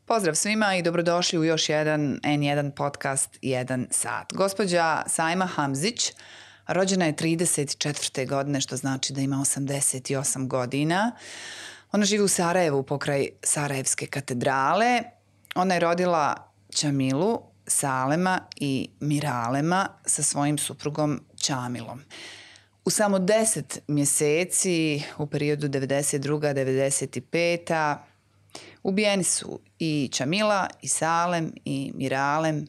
Pozdrav svima i dobrodošli u još jedan N1 podcast 1 sat. Gospođa Sajma Hamzić rođena je 34. godine, što znači da ima 88 godina. Ona živi u Sarajevu pokraj Sarajevske katedrale. Ona je rodila Čamilu, Salema i Miralema sa svojim suprugom Čamilom. U samo 10 mjeseci u periodu 92-95 ubijeni su i Čamila, i Salem, i Miralem,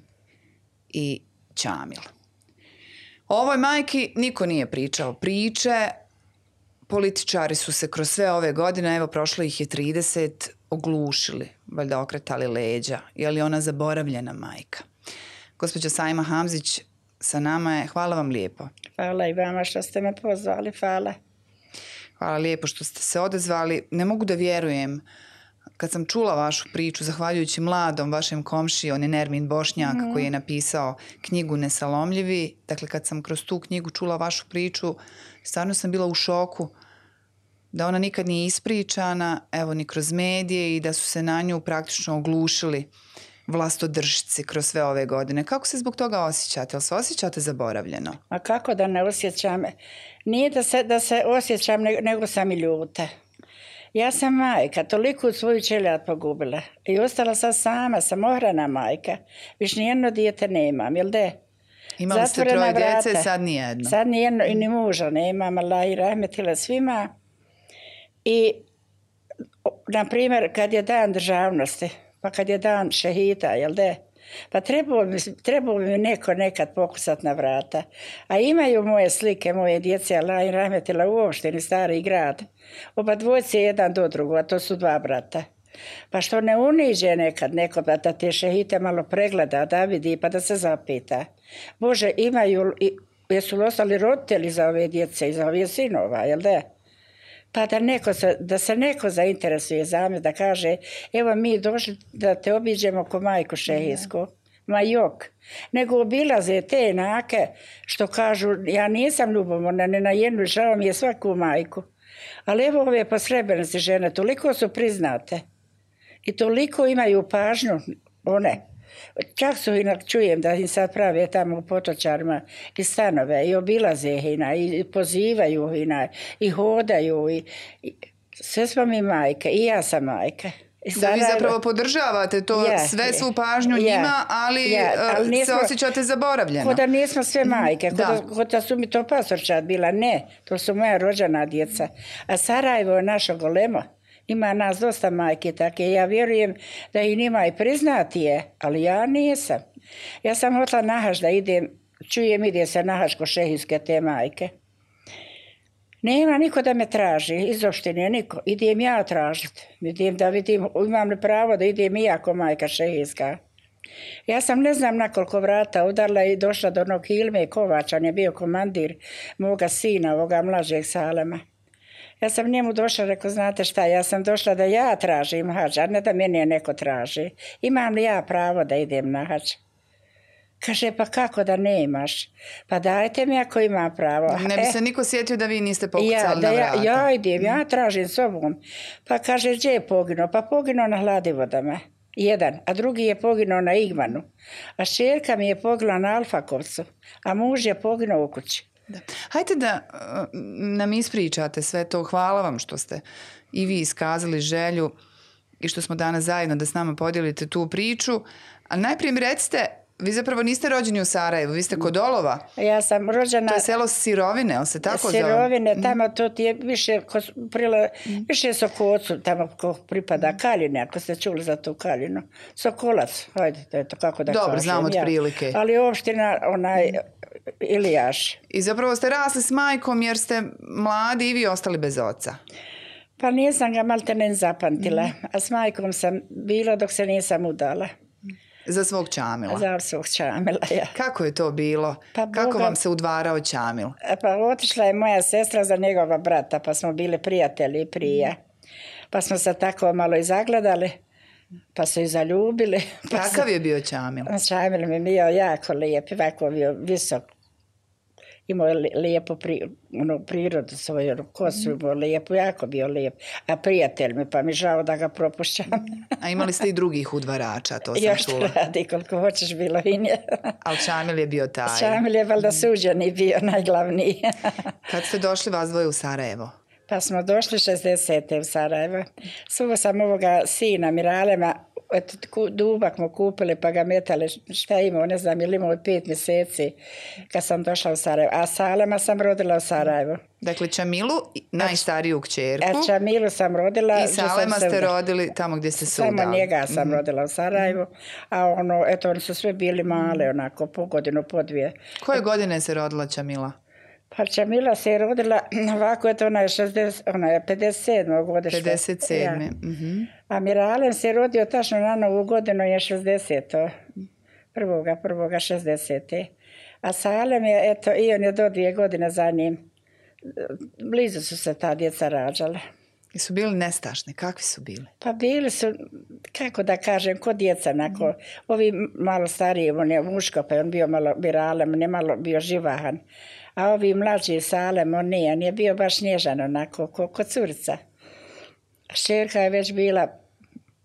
i Čamil. O ovoj majki niko nije pričao priče. Političari su se kroz sve ove godine, evo prošlo ih je 30, oglušili, valjda okretali leđa. Je li ona zaboravljena majka? Gospođa Sajma Hamzić sa nama je. Hvala vam lijepo. Hvala i vama što ste me pozvali, hvala. Hvala lijepo što ste se odazvali. Ne mogu da vjerujem. Kad sam čula vašu priču, zahvaljujući mladom vašem komšiji, on je Nermin Bošnjak, koji je napisao knjigu Nesalomljivi. Dakle, kad sam kroz tu knjigu čula vašu priču, stvarno sam bila u šoku da ona nikad nije ispričana, evo ni kroz medije, i da su se na nju praktično oglušili vlastodršci kroz sve ove godine. Kako se zbog toga osjećate? Jel se osjećate zaboravljeno? A kako da ne osjećam? Nije da se osjećam, nego sam i ljuta. Ja sam majka, toliko svoju čeljad pogubila i ostala sam sama, samohrana majka. Više nijedno dijete nemam, jel de? Imali ste troje djece, sad nijedno. Sad nijedno i ni muža nemam, Allah i rahmetila svima. I, na primjer, kad je dan državnosti, pa kad je dan šehida, jel de? Pa trebao bi mi neko nekad pokusat na vrata. A imaju moje slike, moje djece, Allah i rahmetila u opštini Stari grad. Oba dvojce jedan do drugog, a to su dva brata. Pa što ne uniđe nekad neko da te šehite malo pregleda, da vidi, pa da se zapita. Bože, jesu li ostali roditelji za ove djece i za ove sinova, jel da? Pa da se neko zainteresuje za me, da kaže, evo mi došli da te obiđemo ko majku šehijsku. Ma jok. Nego obilaze te enake što kažu, ja nisam ljubomorna, ne na jednu, žao mi je svaku majku. Ali evo ove posrebrenice žene, toliko su priznate i toliko imaju pažnju one. Čak su čujem da im sad prave tamo u Potočarima i stanove i obilaze i pozivaju i hodaju. I sve smo mi majke i ja sam majka. Da vi zapravo podržavate to, sve svu pažnju njima, ali se osjećate zaboravljeno. Ko da nismo sve majke, ko da su mi to pastorčad bila, ne, to su moja rođena djeca. A Sarajevo je naša golema. Ima nas dosta majke take. Ja vjerujem da i njima i priznati je, ali ja nisam. Ja sam hotla na Hač da idem, ide se na Hač ko šehijske te majke. Nema niko da me traži, iz opštine niko. Idem ja tražiti. Idem da vidim, imam li pravo da idem i ja ko majka šehijska. Ja sam ne znam na koliko vrata udarla i došla do onog Hilme Kovača, on je bio komandir moga sina, ovoga mlađeg Salema. Ja sam njemu došla, rekao, znate šta, ja sam došla da ja tražim hađ, a ne da mene neko traži. Imam li ja pravo da idem na hađ? Kaže, pa kako da nemaš? Pa dajte mi ako ima pravo. Ne bi se niko sjetio da vi niste pokucali na vrata. Ja idem, ja tražim sobom. Pa kaže, gdje je poginuo? Pa poginuo na Hladivodama. Jedan, a drugi je poginuo na Igmanu. A šerka mi je poginula na Alfakovcu, a muž je poginuo u kući. Da. Hajde da nam ispričate sve to. Hvala vam što ste i vi iskazali želju i što smo danas zajedno da s nama podijelite tu priču. Ali najprije mi recite, vi zapravo niste rođeni u Sarajevu, vi ste kod Olova. Ja sam rođena... To je selo Sirovine, ali se tako zove? Sirovine, tamo to ti je više Sokocu, tamo ko pripada Kaljine, ako ste čuli za tu Kaljinu. Sokolac, hajde, eto kako da kažem. Dobro, znam od prilike. Ali opština, Ilijaš. I zapravo ste rasli s majkom jer ste mladi i vi ostali bez oca. Pa nisam ga maltene zapamtila, a s majkom sam bila dok se nisam udala. Za svog Čamila? Za svog Čamila, ja. Kako je to bilo? Pa kako vam se udvarao Čamil? Pa otišla je moja sestra za njegova brata, pa smo bili prijatelji prije. Pa smo se tako malo i zagledali, pa su i zaljubili. Kakav je bio Čamil? Čamil mi je bio jako lijep, ovako bio visok. imao je lijepu prirodu svoju, kosu imao lijepu, jako bio lijep. A prijatelj mi, pa mi žao da ga propušćam. A imali ste i drugih udvarača, to sam još čula. Još radi, koliko hoćeš bilo i nje. Ali Čamil je bio taj. Čamil je valjda suđeni bio najglavniji. Kad ste došli vas dvoje u Sarajevo? Pa smo došli 60. u Sarajevo. Suvo sam ovoga sina Miralema, dubak mu kupili pa ga metali, šta imao, ne znam, ili imao 5 mjeseci kad sam došla u Sarajevo. A Salema sam rodila u Sarajevu. Dakle, Čamilu, najstariju kćerku. A Čamilu sam rodila. I Salema ste rodili tamo gdje ste se udali. Samo njega sam rodila u Sarajevu. A oni su sve bili male, onako, po godinu, po dvije. Koje godine se rodila Čamila? Pa Čamila se je rodila, ovako ona je 57. godište. 57. Ja. A Miralem se je rodio tačno na novu godinu je 60. Prvoga 60. A Salem je, eto, i on je do 2 godine za njim. Blizu su se ta djeca rađale. I su bili nestašni? Kakvi su bili? Pa bili su, kako da kažem, ko djeca. Ovi malo stariji, on je muško, pa on bio malo Miralem, ne malo bio živahan. A ovi mlađi Salem, on je bio baš nježan, onako, ko curica. Šerka je već bila,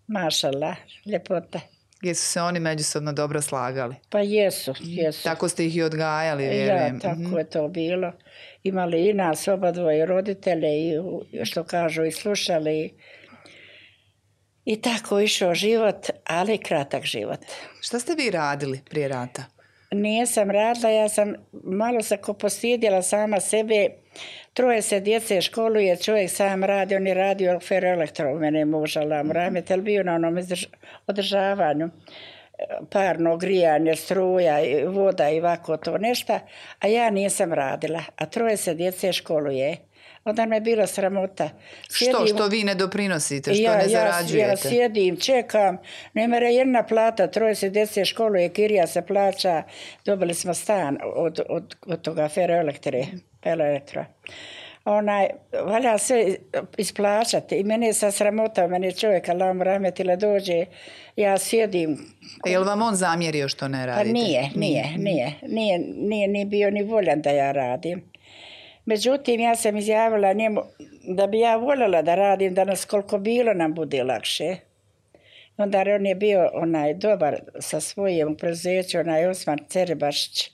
mašala, ljepota. Jesu se oni međusobno dobro slagali? Pa jesu. Tako ste ih i odgajali, vjerujem. Ja, tako je to bilo. Imali i nas oba dvoje roditelje i što kažu i slušali. I tako išao život, ali kratak život. Šta ste vi radili prije rata? Nisam radila, ja sam malo se postidjela sama sebe. 3 se djece školuje, čovjek sam radi, on je radio Ferroelektro, mene je muž Alam Rahmetel, bio na onom održavanju, parno grijanje, struja, voda i ovako to nešto, a ja nisam radila, a 3 se djece školuje. Onda me je bilo sramota. Što vi ne doprinosite, što ne zarađujete? Ja sjedim, čekam, ne mere jedna plata, 3 se djece školuje, kirija se plaća, dobili smo stan od toga Ferroelektra. Valja sve isplaćati i mene je sa sramota, mene čovjek Alam Rahmetila dođe, ja sjedim. Je li vam on zamjerio što ne radite? Pa nije bio ni voljan da ja radim. Međutim, ja sam izjavila njemu da bi ja voljela da radim danas koliko bilo nam bude lakše. Onda on je bio dobar sa svojim preduzećem, Osman Cerebašić.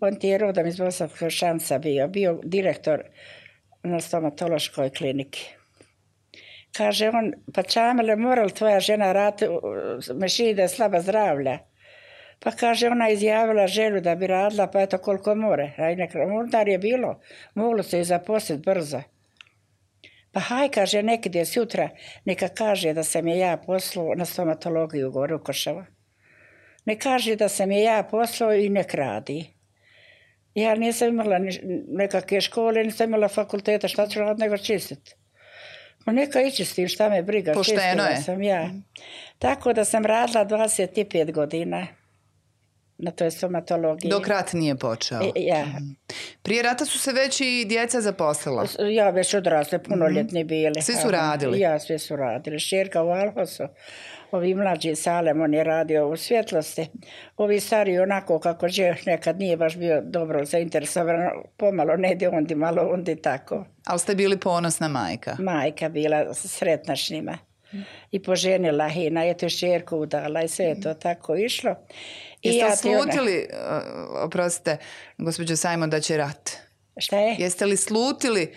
On ti je rodom iz Bosanskog Šanca bio direktor na stomatološkoj kliniki. Kaže on, pa Čamile, mora li tvoja žena raditi, mešini da je slaba zdravlja? Pa kaže, ona izjavila želju da bi radila, pa eto koliko more. Onda je bilo, moglo se i zaposliti brzo. Pa haj, kaže, nekad je sutra, neka kaže da sam je ja poslao na stomatologiju gore u Košava. Ne kaže da sam je ja poslao i nek radi. Ja nisam imala nekakve škole, nisam imala fakulteta, šta ću raditi nego čistiti. Pa neka ići s tim, šta me briga. Pošteno je. Sam ja. Tako da sam radila 25 godina. Na toj stomatologiji. Dok rat nije počeo. Ja. Prije rata su se već i djeca zaposlila. Ja već odrasle, punoljetni bili. Svi su radili? Ja, svi su radili. Šerka u Alhosu, ovi mlađi Salem, on je radio u svjetlosti. Ovi stari onako kako nekad nije baš bio dobro zainteresovan, pomalo ne ide ondi, malo ondi tako. Ali ste bili ponosna majka? Majka bila sretna s njima. I poženila i na eto šerku udala i sve je to tako išlo. Jeste slutili, oprostite, gospođo Sajmon, da će rat? Šta je? Jeste li slutili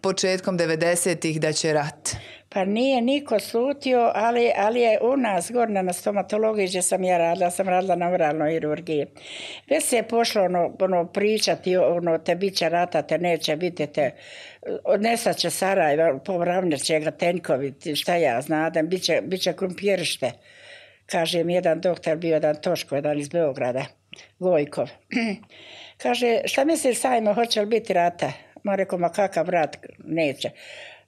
početkom 90-ih da će rat? Pa nije niko slutio, ali je u nas gorna na stomatologiji gdje sam ja radila, sam radila na oralnoj hirurgiji. Već se je pošlo pričati, te bit će rata, te neće biti, odnesat će Sarajeva, povravnit će ga tenkovi, šta ja znadem, bit će krumpirište. Kaže mi jedan doktor, bio jedan Toško, jedan iz Beograda, Gojkov. Kaže, šta misliš Sajmo, hoće li biti rata? Ma rekao, ma kakav rat, neće.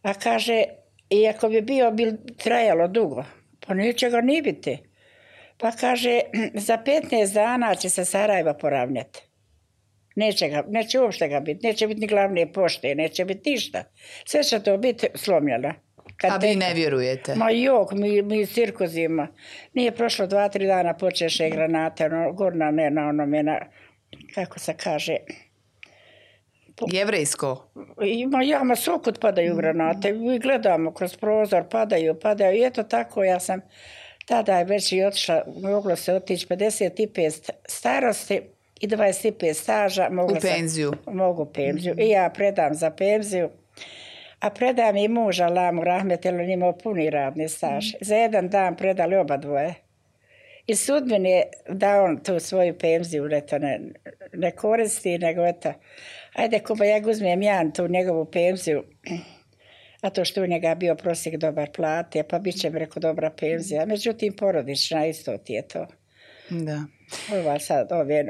A kaže, iako bi trajalo dugo, pa neće ga ni biti. Pa kaže, za 15 dana će se Sarajeva poravnjati. Neće uopšte ga biti, neće biti ni glavne pošte, neće biti ništa. Sve će to biti slomljeno. A vi ne vjerujete? Ma jok, mi cirkozima. Nije prošlo 2-3 dana počeše granate, gorna ne na onome, kako se kaže, Jevrejsko? Ima svukud padaju granate. Mi gledamo kroz prozor, padaju. I eto tako, ja sam tada je već i otišla, moglo se otići 55 starosti i 25 staža. U penziju? Mogu penziju. I ja predam za penziju. A predam i muža Lamu Rahmetelu, on imao puni radni staž. Za jedan dan predali oba dvoje. I sudbin je da on tu svoju penziju ne koristi, nego eto, ajde Kuba, ja uzmem ja tu njegovu penziju, a to što u njega bio prosjek dobar plate, pa bit će mi reko dobra penzija. Međutim, porodična isto ti je to. Da.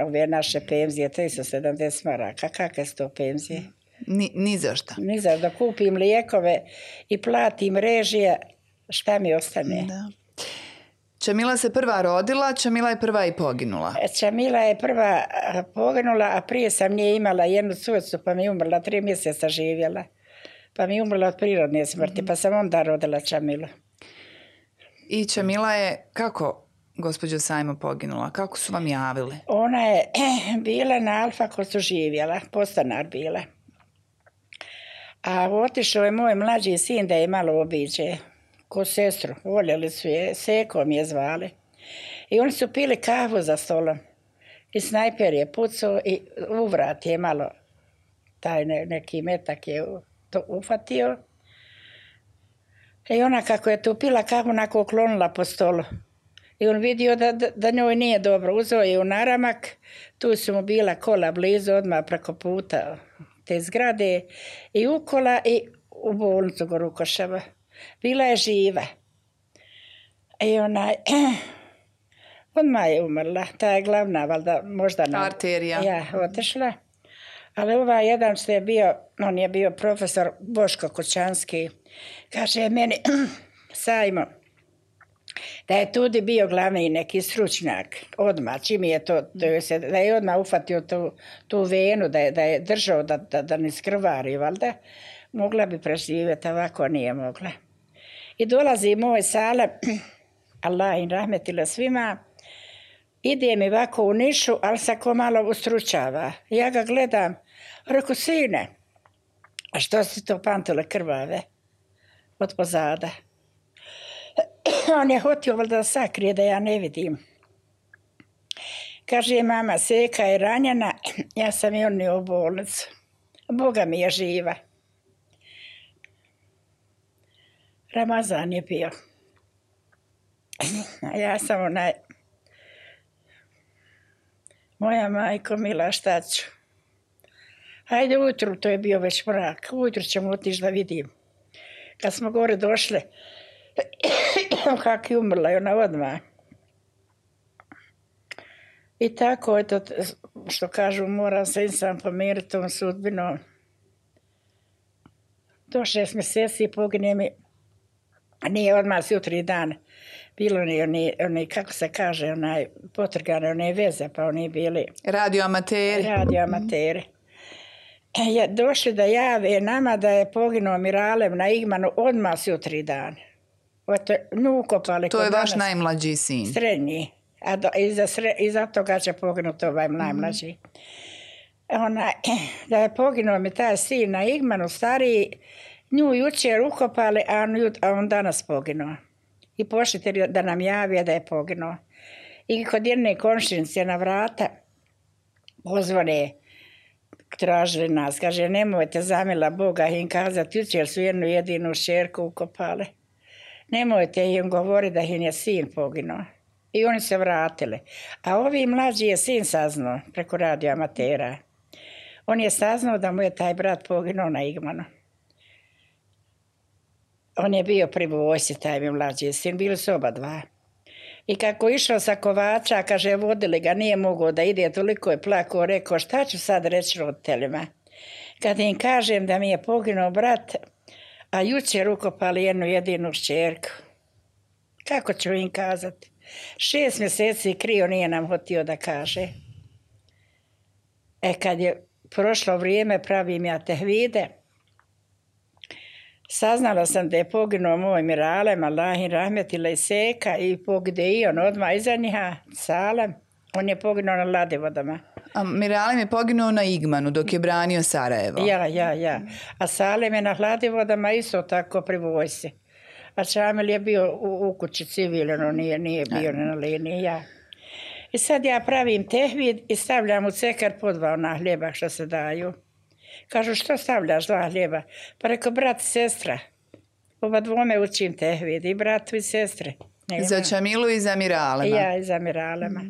Ove naše penzije, 370 maraka, kakve su to penzije? Ni za šta. Ni za da kupim lijekove i platim režije, šta mi ostane? Da. Čamila se prva rodila, Čamila je prva i poginula. Čamila je prva poginula, a prije sam nje imala jednu curicu, pa mi je umrla, 3 mjeseca živjela. Pa mi je umrla od prirodne smrti, pa sam onda rodila Čamilu. I Čamila je, kako gospođo Sajmo poginula? Kako su vam javili? Ona je bila na Alfakosu živjela, postanar bila. A otišao je moj mlađi sin da je malo obiđe. Ko sestru, voljeli su je, Sekom je zvali. I oni su pili kahvu za stolom. I snajper je pucao i uvrat je malo, taj neki metak je to ufatio. I ona kako je tu pila kahvu, onako oklonila po stolu. I on vidio da njoj nije dobro. Uzeo je u naramak, tu su mu bila kola blizu, odmah preko puta te zgrade. I u kola i u bolnicu Gorukoševa. Bila je živa. I odmah je umrla. Ta je glavna, valjda, možda arterija. Ja, otišla. Ali ovaj jedan što je bio, on je bio profesor Boško Kućanski, kaže meni, Sajmo, da je tudi bio glavni neki stručnjak, odmah, čim je to da je odmah ufatio tu venu, da je držao da ne skrvari, valjda, mogla bi preživjeti, ovako nije mogla. I dolazi moj Salem, Allah im rahmetila svima, ide mi ovako u nišu, ali se ko malo ustručava. Ja ga gledam, reku, sine, a što si to pantule krvave? Od pozada. On je hotio valjda da sakrije da ja ne vidim. Kaže, mama, Seka je ranjena, ja sam i on u bolnicu. Boga mi je živa. Ramazan je bio. A ja sam moja majko mila, šta ću? Hajde ujutru, to je bio već mrak, ujutru ćemo otići da vidim. Kad smo gore došli, kak je umrla i ona odmah. I tako, eto, što kažu, moram se sam pomiriti tom sudbinom. Do 6 mjeseci pogine mi, nije odmah jutri dan. Bilo oni, kako se kaže, potrgane, one veze, pa oni bili... Radioamateri. Radioamateri. Došli da jave nama da je poginuo Miralem na Igmanu odmah s jutri dan. Ukopali. To je vaš najmlađi sin? Srednji. A iza toga će poginuti ovaj najmlađi. Da je poginuo mi taj sin na Igmanu, stariji, nju jučer ukopali, a on danas poginuo. I pošli da nam javi da je poginuo. I kod jedne komšinice na vrata pozvone, tražili nas, kaže, nemojte zamila Boga im kazati, jučer su jednu jedinu šerku ukopali. Nemojte im govoriti da im je sin poginuo. I oni se vratili. A ovi mlađi je sin saznao preko radioamatera. On je saznao da mu je taj brat poginuo na Igmanu. On je bio pri vojsci, taj mi mlađi sin, bili su oba dva. I kako išao sa Kovača, kaže, vodili ga, nije mogao da ide, toliko je plakao, rekao, šta ću sad reći roditeljima? Kad im kažem da mi je poginuo brat, a jučer ukopali jednu jedinu šćerku. Kako ću im kazati? 6 mjeseci krio nije nam hotio da kaže. Kad je prošlo vrijeme, pravim ja tehvide, saznala sam da je poginuo moj Miralem, Allah im rahmetila i Seka, i pogide i on odmah iza njiha, Salem. On je poginuo na Ladivodama. A Miralem je poginuo na Igmanu dok je branio Sarajevo. Ja. A Salem je na Hladivodama isto tako pri vojsci. A Šamil je bio u kući civilno, nije bio na liniji, ja. I sad ja pravim tehvid i stavljam u cekar po 2 ona hljeba što se daju. Kažu, što stavljaš 2 hljeba? Pa rekao, brat i sestra. Oba dvome učim tehvid, i bratu i sestre. Za Čamilu i za Miralema. Ja, i za Miralema.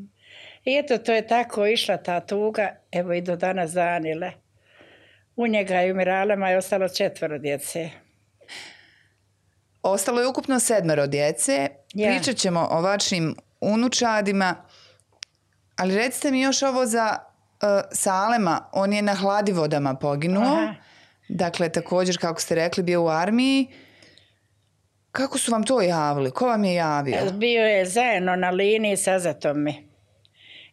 I eto, to je tako išla ta tuga, evo i do danas danile. U njega i u Miralema je ostalo 4 djece. Ostalo je ukupno 7 djece. Pričat ćemo o vašim unučadima, ali recite mi još ovo za Salema. On je na Hladivodama poginuo. Aha. Dakle, također, kako ste rekli, bio u armiji. Kako su vam to javili? Ko vam je javio? Bio je zajedno na liniji sa Zatomi.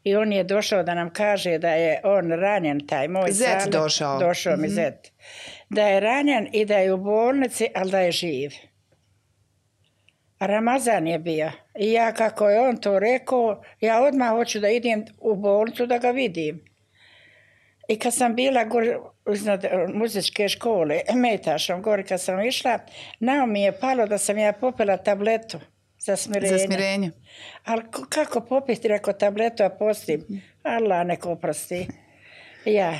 I on je došao da nam kaže da je on ranjen, taj moj Zet Salem. došao. Došao mi Zet. Da je ranjen i da je u bolnici, ali da je živ. A Ramazan je bio. I ja, kako je on to rekao, ja odmah hoću da idem u bolnicu da ga vidim. I kad sam bila iznad muzičke škole, Metašom, gore kad sam išla, na mi je palo da sam ja popila tabletu za smirenje. Za smirenje. Ali kako popiti, rekao, tabletu, a postim? Allah neko oprosti. Ja.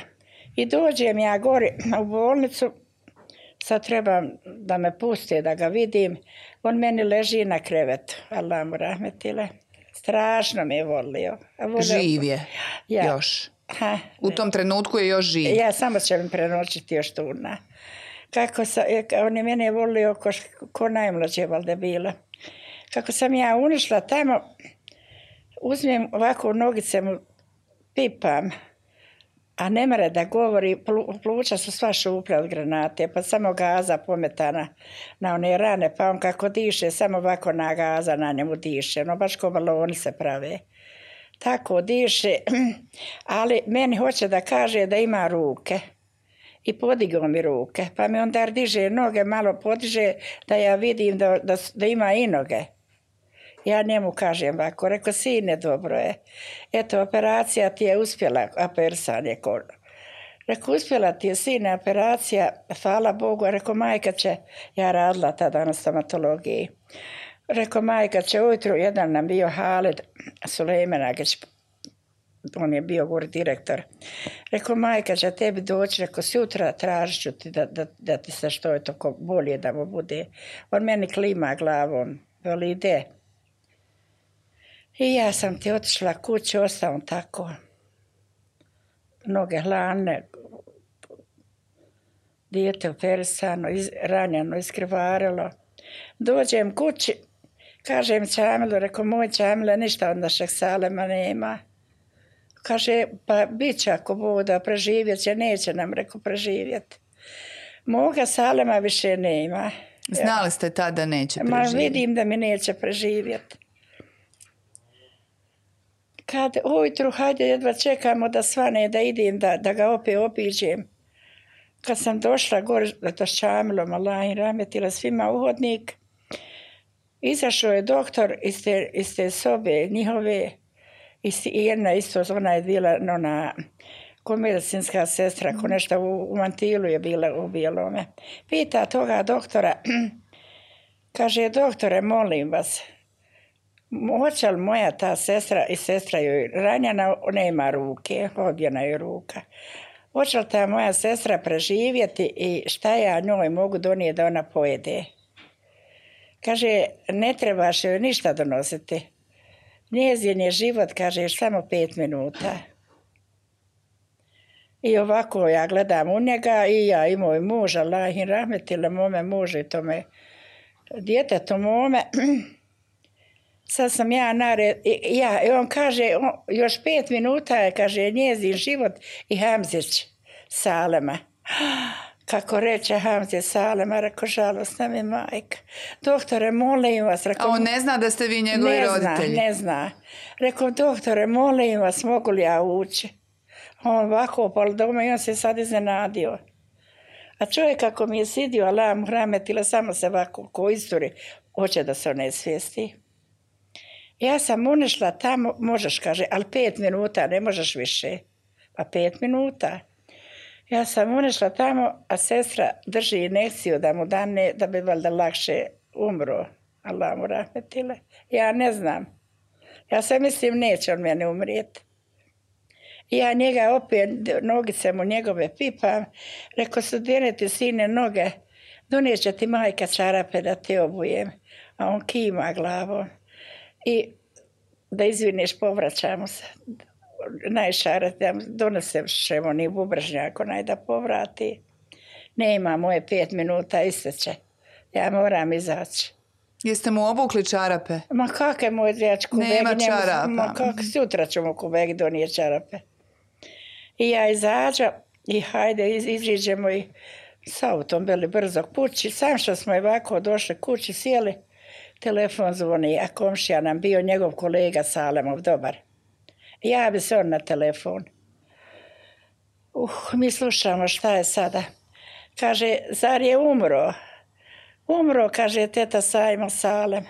I dođem ja gore u bolnicu, sad trebam da me puste, da ga vidim. On meni leži na krevetu, Allah mu rahmetile. Strašno me je volio. Živ je još. U tom trenutku je još živ. Ja samo će mi prenoćiti još tu. On je mene volio ko najmlađe valjda bila. Kako sam ja unišla tamo, uzmem ovako nogice mu pipam, a ne mre da govori, pluća su sva šuplja od granate, pa samo gaza pometana na one rane, pa on kako diše, samo ovako na gaza na njemu diše, no baš ko baloni se prave. Tako diše, ali meni hoće da kaže da ima ruke. I podigao mi ruke, pa mi onda diže noge, malo podiže da ja vidim da ima i noge. Ja njemu kažem ovako, rekao, sine, dobro je. Eto, operacija ti je uspjela, operisanje kola. Rekao, uspjela ti je, sine, operacija, hvala Bogu. Rekao, majka će, ja radila tada na stomatologiji. Rekao, majka će, ujutru jedan nam bio Halid Sulejmanagić, on je bio gore direktor. Rekao, majka će tebi doći, rekao, sutra tražit ću ti da ti se što je toko bolje da mu bude. On meni klima glavom, veli, ide. I ja sam ti otišla kući, ostao tako. Noge hladne, dijete operisano, ranjeno, iskrvarilo. Dođem kući, kažem Čamilu, rekao, moj Čamile, ništa od našeg Salema nema. Kaže, pa bit će ako bude, preživjet će, neće nam, rekao, preživjeti. Moga Salema više nema. Znali ste tada da neće preživjeti? Ma vidim da mi neće preživjeti. Kad ujutru, hajde, jedva čekamo da svane, da idem, da ga opet obiđem. Kad sam došla gore, to s Čamilom, Allah im rahmetila, svima u hodnik, izašao je doktor iz te sobe njihove, i jedna isto, ona je bila ko medicinska sestra, ko nešto u mantilu je bila u bijelome. Pita toga doktora, kaže, doktore, molim vas, hoće li moja ta sestra i sestra joj ranjena, nema ruke, odbjena joj ruka. Hoće li ta moja sestra preživjeti i šta ja njoj mogu donijeti da ona pojede? Kaže, ne trebaš joj ništa donositi. Njezin je život, kaže, još samo 5 minuta. I ovako ja gledam u njega i ja i moj muž, Allah im rahmetile, mome mužu i tome djetetu mome. Sad sam ja nared, i on kaže, još 5 minuta je, kaže, njezin život i Hamzić Salema. Kako reče Hamzić Salema, rekao, žalostna mi majka. Doktore, molim vas. Rekao, a on ne zna da ste vi njegovi roditelji? Ne zna. Rekao, doktore, molim vas, mogu li ja ući? On ovako pol doma i on se sad iznenadio. A čovjek kako mi je sidio, Allah mu rahmetila, samo se ovako ko isturi, hoće da se ne svijesti. Ja sam unišla tamo, možeš, kaže, ali 5 minuta, ne možeš više. a 5 minuta. Ja sam unešla tamo, a sestra drži injekciju da mu dane, da bi valjda lakše umro. Allah mu rahmetile. Ja ne znam. Ja sam mislim neće on mene umrijeti. I ja njega opet, nogice mu njegove pipam. Rekao su, denete sine noge, donijeće ti majka čarape da te obujem. A on kima glavom. I da izviniš, povraćamo se. Najšarat, donesem šemo ni bubržnjak, onaj da povrati. Nema moje 5 minuta, isteće. Ja moram izaći. Jeste mu obukli čarape? Ma kakve moj dječku kubegi? Nema čarapa. Ma kak, sutra ću mu kubegi donijeti čarape. I ja izađem i hajde iziđemo i s autom bili brzo kući. Sam što smo ovako došli kući, sjeli, telefon zvoni, a komšija nam bio njegov kolega Salemov, dobar. Javi se on na telefon. Mi slušamo šta je sada. Kaže, zar je umro? Umro, kaže teta Sajmo Salem.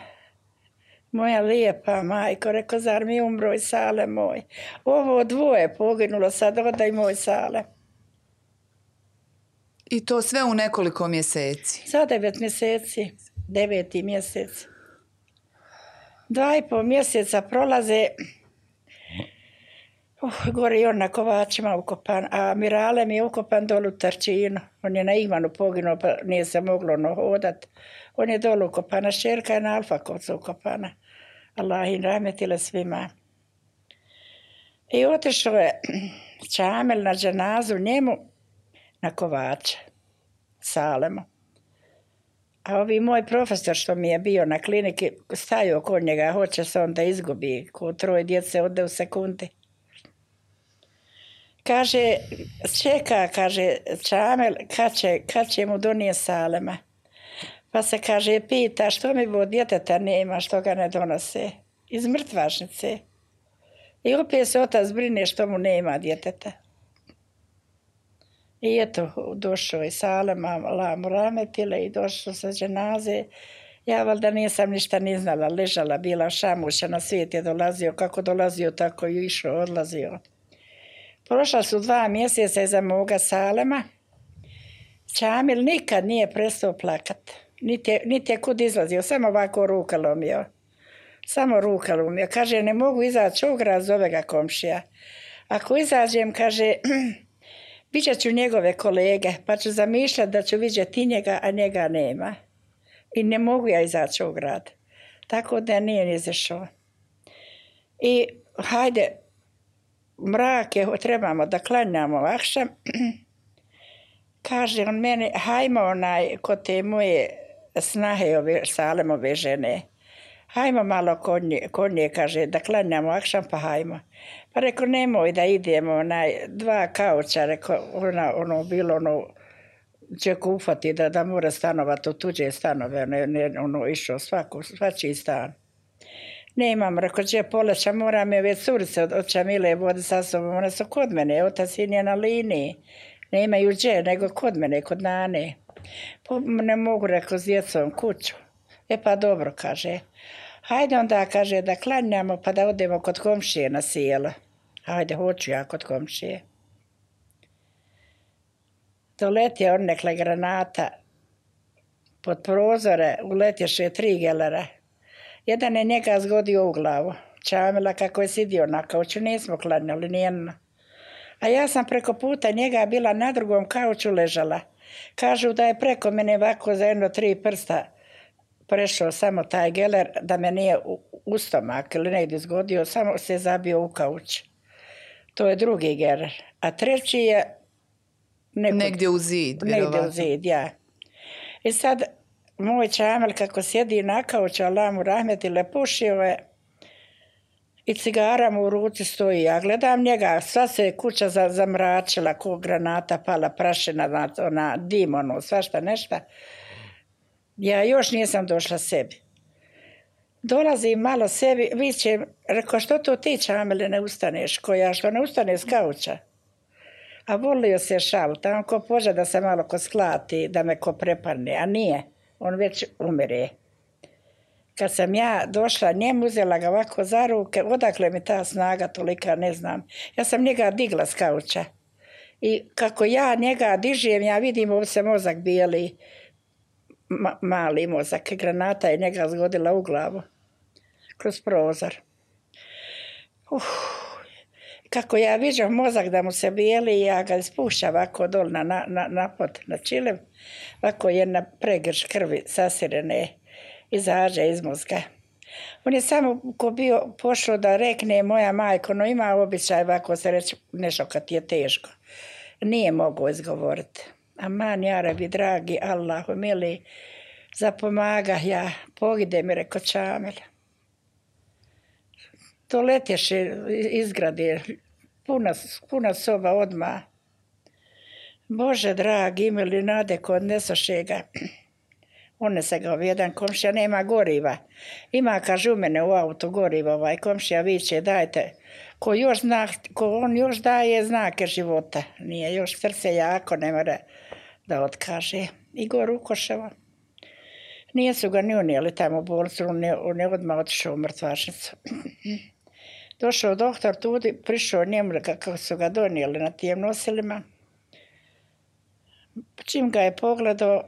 Moja lijepa majko, rekao, zar mi umro i Salem moj? Ovo dvoje poginulo, sad odaj moj Salem. I to sve u nekoliko mjeseci? Za 9 mjeseci, 9. mjesec. 2,5 mjeseca prolaze, gore i on na Kovačima ukopan, a Mirale mi je ukopan dolu u Tarčinu. On je na Ivanu poginuo, pa nije se moglo hodat. On je dolu ukopana, šerka je na Alfakovcu ukopana. Allah im rahmetile svima. I otišao je Čamel na dženazu njemu na Kovača, Salemu. A ovi moj profesor što mi je bio na kliniki, stajao kod njega, hoće se on da izgubi, ko 3 djece ode u sekundi. Kaže, čeka, kaže Čamel, kad će mu donijeti Salema. Pa se, kaže, pita što mi bo djeteta nema, što ga ne donose. Iz mrtvačnice. I opet se otac brine što mu nema djeteta. I eto, došao je Salema, Allah mu rahmetile, i došao sa dženaze. Ja valjda nisam ništa ni znala, ležala, bila šamuša, na svijet je dolazio, kako dolazio, tako i išao, odlazio. Prošla su 2 mjeseca iza moga Salema. Čamil nikad nije prestao plakat. Niti je kud izlazio, samo ovako ruka lomio. Samo ruka lomio. Kaže, ne mogu izaći ograz, zove ga komšija. Ako izađem, kaže, vidjet ću njegove kolege, pa ću zamišljati da ću vidjeti njega, a njega nema. I ne mogu ja izaći u grad. Tako da nije ni izašao. I hajde, mrak je, trebamo da klanjamo akšam. Kaže on meni, hajmo onaj kod te moje snahe ove Salemove žene. Hajmo malo kod nje, kaže, da klanjamo akšam, pa hajmo. Pa rekao, nemoj da idemo, 2 kauča, rekao, ono bilo će kufati da mora stanovati u tuđe stanove, ono išao svačiji stan. Nemam, rekao, gdje poleća, moram je već curice od Čamile vodi sa sobom, one su kod mene, otac sin je na liniji. Ne imaju gdje, nego kod mene, kod Nane. Ne mogu, rekao, s djecom kuću. Pa dobro, kaže. Hajde onda, kaže, da klanjamo pa da odemo kod komšije na sjelo. Hajde, hoću ja kod komšije. Doletje odnekle granata pod prozore, uletješe 3 gelera. Jedan je njega zgodio u glavu. Čamila kako je sidio na kauču, nismo klanjali nijedno. A ja sam preko puta njega bila na drugom kauču ležala. Kažu da je preko mene ovako za 3 prsta prešao samo taj geler, da me nije u stomak ili negdje zgodio, samo se zabio u kauč. To je drugi geler. A treći je negdje u zid. Negdje u zid, ja. I sad moj Čamel kako sjedi na kauču, Allah mu rahmetile, pušio je i cigara mu u ruci stoji. Ja gledam njega, sva se kuća zamračila, ko granata pala, prašina, ona dim, ono, svašta nešta. Ja još nisam došla sebi. Dolazim malo sebi, vićem, rekao, što to ti Čamele ne ustaneš, koja što ne ustane s kauča? A volio se šal, tamo ko poža da se malo ko sklati, da me ko prepadne, a nije, on već umire. kad sam ja došla njemu, uzela ga ovako za ruke, odakle mi ta snaga tolika, ne znam. Ja sam njega digla s kauča. I kako ja njega dižem, ja vidim ovdje se mozak bijeli, mali mozak, granata je njega zgodila u glavu, kroz prozor. Kako ja viđam mozak da mu se bijeli, ja ga spušam ovako dol na pod, na čilev, ovako jedna pregrš krvi sasirene, izađe iz mozga. On je samo ko bio pošao da rekne moja majko, no ima običaj ovako se reći nešto kad ti je teško. Nije mogao izgovoriti. Aman, ja rabi, dragi Allahu, mili, zapomaga ja, pogide mi, reko Čamil. To letješe izgrade, puna soba odmah. Bože dragi, mili, nade ko odnesoše ga. Unese ga jedan komšija, nema goriva. Ima, kaže, u mene u auto goriva, komšija viče, dajte. Ko on još daje znake života. Nije još srce jako, ne mora da otkaže. Igor Ukoševa. Nije su ga ni unijeli tamo u bolnicu, on je odmah otišao u mrtvačnicu. Došao doktor tudi, prišao njemu kako su ga donijeli na tijem nosilima. Čim ga je pogledao,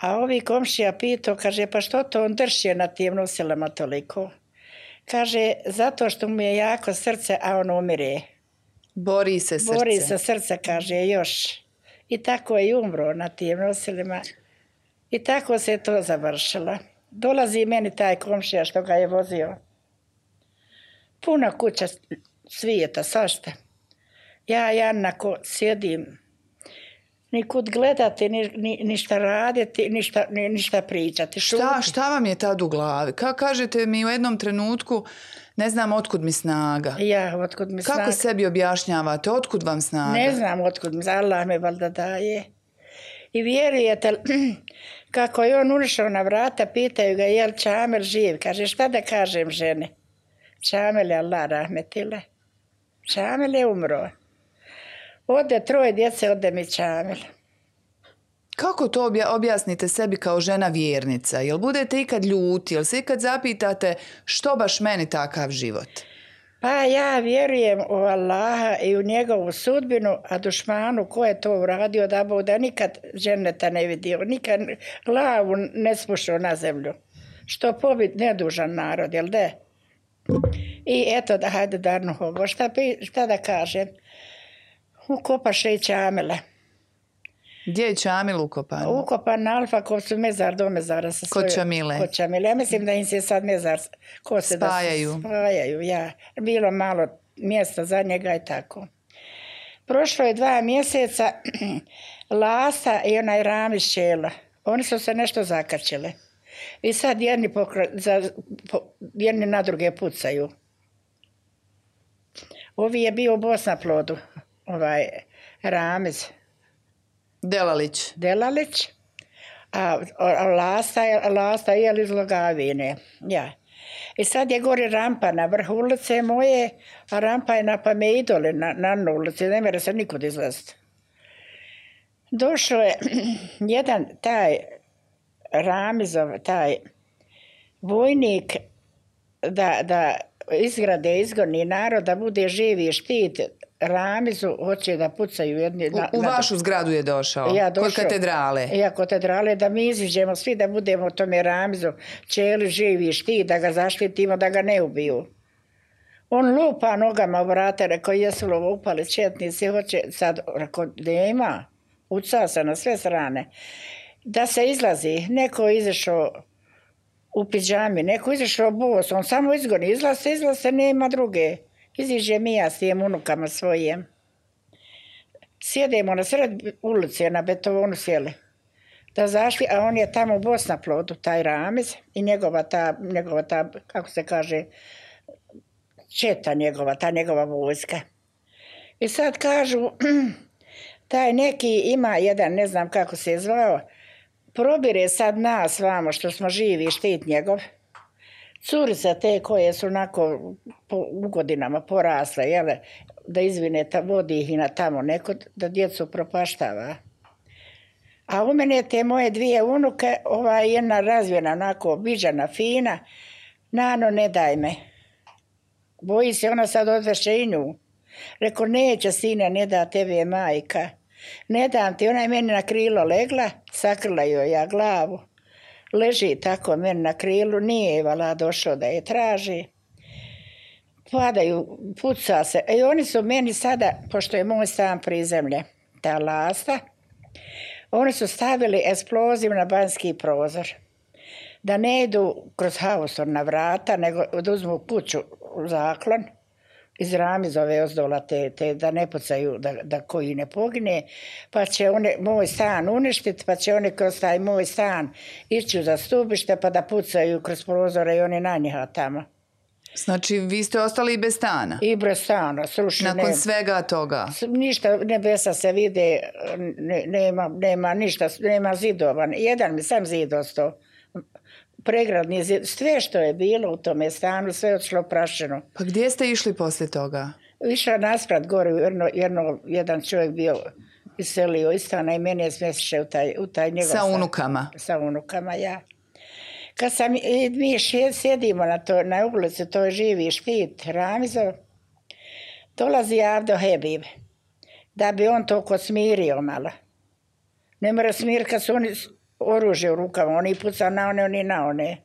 a ovi komšija pitao, kaže, pa što to on drži na tijem nosilima toliko? Kaže, zato što mu je jako srce, a on umire. Bori se srce. Bori se srce, kaže, još. I tako je i umro na tijem nosilima. I tako se to završilo. Dolazi meni taj komšija što ga je vozio. Puna kuća svijeta, svašta. Ja jednako sjedim, nikud gledati, ništa raditi, ništa pričati. Šta vam je tad u glavi? Kažete mi u jednom trenutku, ne znam otkud mi snaga. Ja, otkud mi snaga. Kako sebi objašnjavate, otkud vam snaga? Ne znam otkud mi, Allah me valjda daje. I vjerujete, kako je on ušao na vrata, pitaju ga, je li Čamil živ? Kaže, šta da kažem žene? Čamil je Allah rahmetile. Čamil je umro. Ode 3 djece, ode mi Čamil. Kako to objasnite sebi kao žena vjernica? Jel budete ikad ljuti? Jel se ikad zapitate što baš meni takav život? Pa ja vjerujem u Allaha i u njegovu sudbinu, a dušmanu ko je to uradio da nikad dženeta ne vidio, nikad glavu ne spušao na zemlju. Što pobit nedužan narod, jel de? I eto, hajde Darnu Hogo, šta da kažem? Ukopaše i Čamila. Gdje je Čamil ukopan? Ukopan na Alfakovcu, mezar do mezara. Kod Čamile. Kod Čamile. Ja mislim da im se sad mezar spajaju. Spajaju, ja. Bilo malo mjesta za njega i tako. Prošlo je 2 mjeseca, Lasa i onaj Ramiz Šela. Oni su se nešto zakačili. I sad jedni na druge pucaju. Ovi je bio u Bosnaplodu, Ramiz. Delalić, a Lasta je iz Logavine. Ja. I sad je gore rampa na vrhu ulice moje, a rampa je na Pame Idole, na ulici, ne mere se nikud izlaziti. Došao je jedan taj Ramizov, taj vojnik da izgoni narod, da bude živi štit. Ramizu hoće da pucaju jedni... U vašu zgradu je došao? Kod katedrale? Ja, kod katedrale, da mi iziđemo svi, da budemo tome Ramizu čeli živi štit, da ga zaštitimo, da ga ne ubiju. On lupa nogama u vrata, rekao, jesu li upali četnici, hoće sad, rekao, nema, uca se na sve strane. Da se izlazi, neko izašao u pidžami, neko izašao bos, on samo izgoni, izlaze, nema druge. Iziđe mi ja s tijem unukama svojim. Sjedemo na sred ulice, na betonu sjeli. Da zašli, a on je tamo u Bosnaplodu, taj Ramiz, i njegova ta, kako se kaže, četa njegova, ta njegova vojska. I sad kažu, taj neki ima jedan, ne znam kako se je zvao, probire sad nas vamo što smo živi, štit njegov. Curice te koje su onako u godinama porasle, jele, da izvine, vodi ih i na tamo neko, da djecu propaštava. A u mene te moje 2 unuke, jedna razvijena, onako viđana, fina, Nano, ne daj me. Boji se ona sad odveše i nju. Rekao, neće sine, ne da tebi je majka. Ne dam ti, ona je meni na krilo legla, sakrila joj ja glavu. Leži tako meni na krilu, nije je vala došao da je traži. Padaju, puca se. I oni su meni sada, pošto je moj stan prizemlje, ta lasta, oni su stavili eksploziv na banjski prozor. Da ne idu kroz hausor na vrata, nego da uzmu kuću u zaklon, iz ramizove ozdola te da ne pucaju, da koji ne pogine, pa će moj stan uništiti, pa će oni kroz taj moj stan ići za stubište, pa da pucaju kroz prozore i oni na njega tamo. Znači, vi ste ostali i bez stana? I bez stana, srušene. Nakon svega toga? Ništa, nebesa se vide, nema ništa, nema zidova. Jedan mi sam zid ostao. Pregradni zid, sve što je bilo u tome stanu, sve odšlo prašeno. Pa gdje ste išli poslije toga? Išla nasprat gore, jedan čovjek bio iselio iz stana i mene je smjestiše u taj njegov stan. Sa unukama? Sa unukama, ja. Kad mi sjedimo na ulici, to je živi štit Ramizov, dolazi Avdo Hebib, da bi on to smirio malo. Ne mora smiriti kad su oni oružje u rukama, oni pucao na one, oni na one.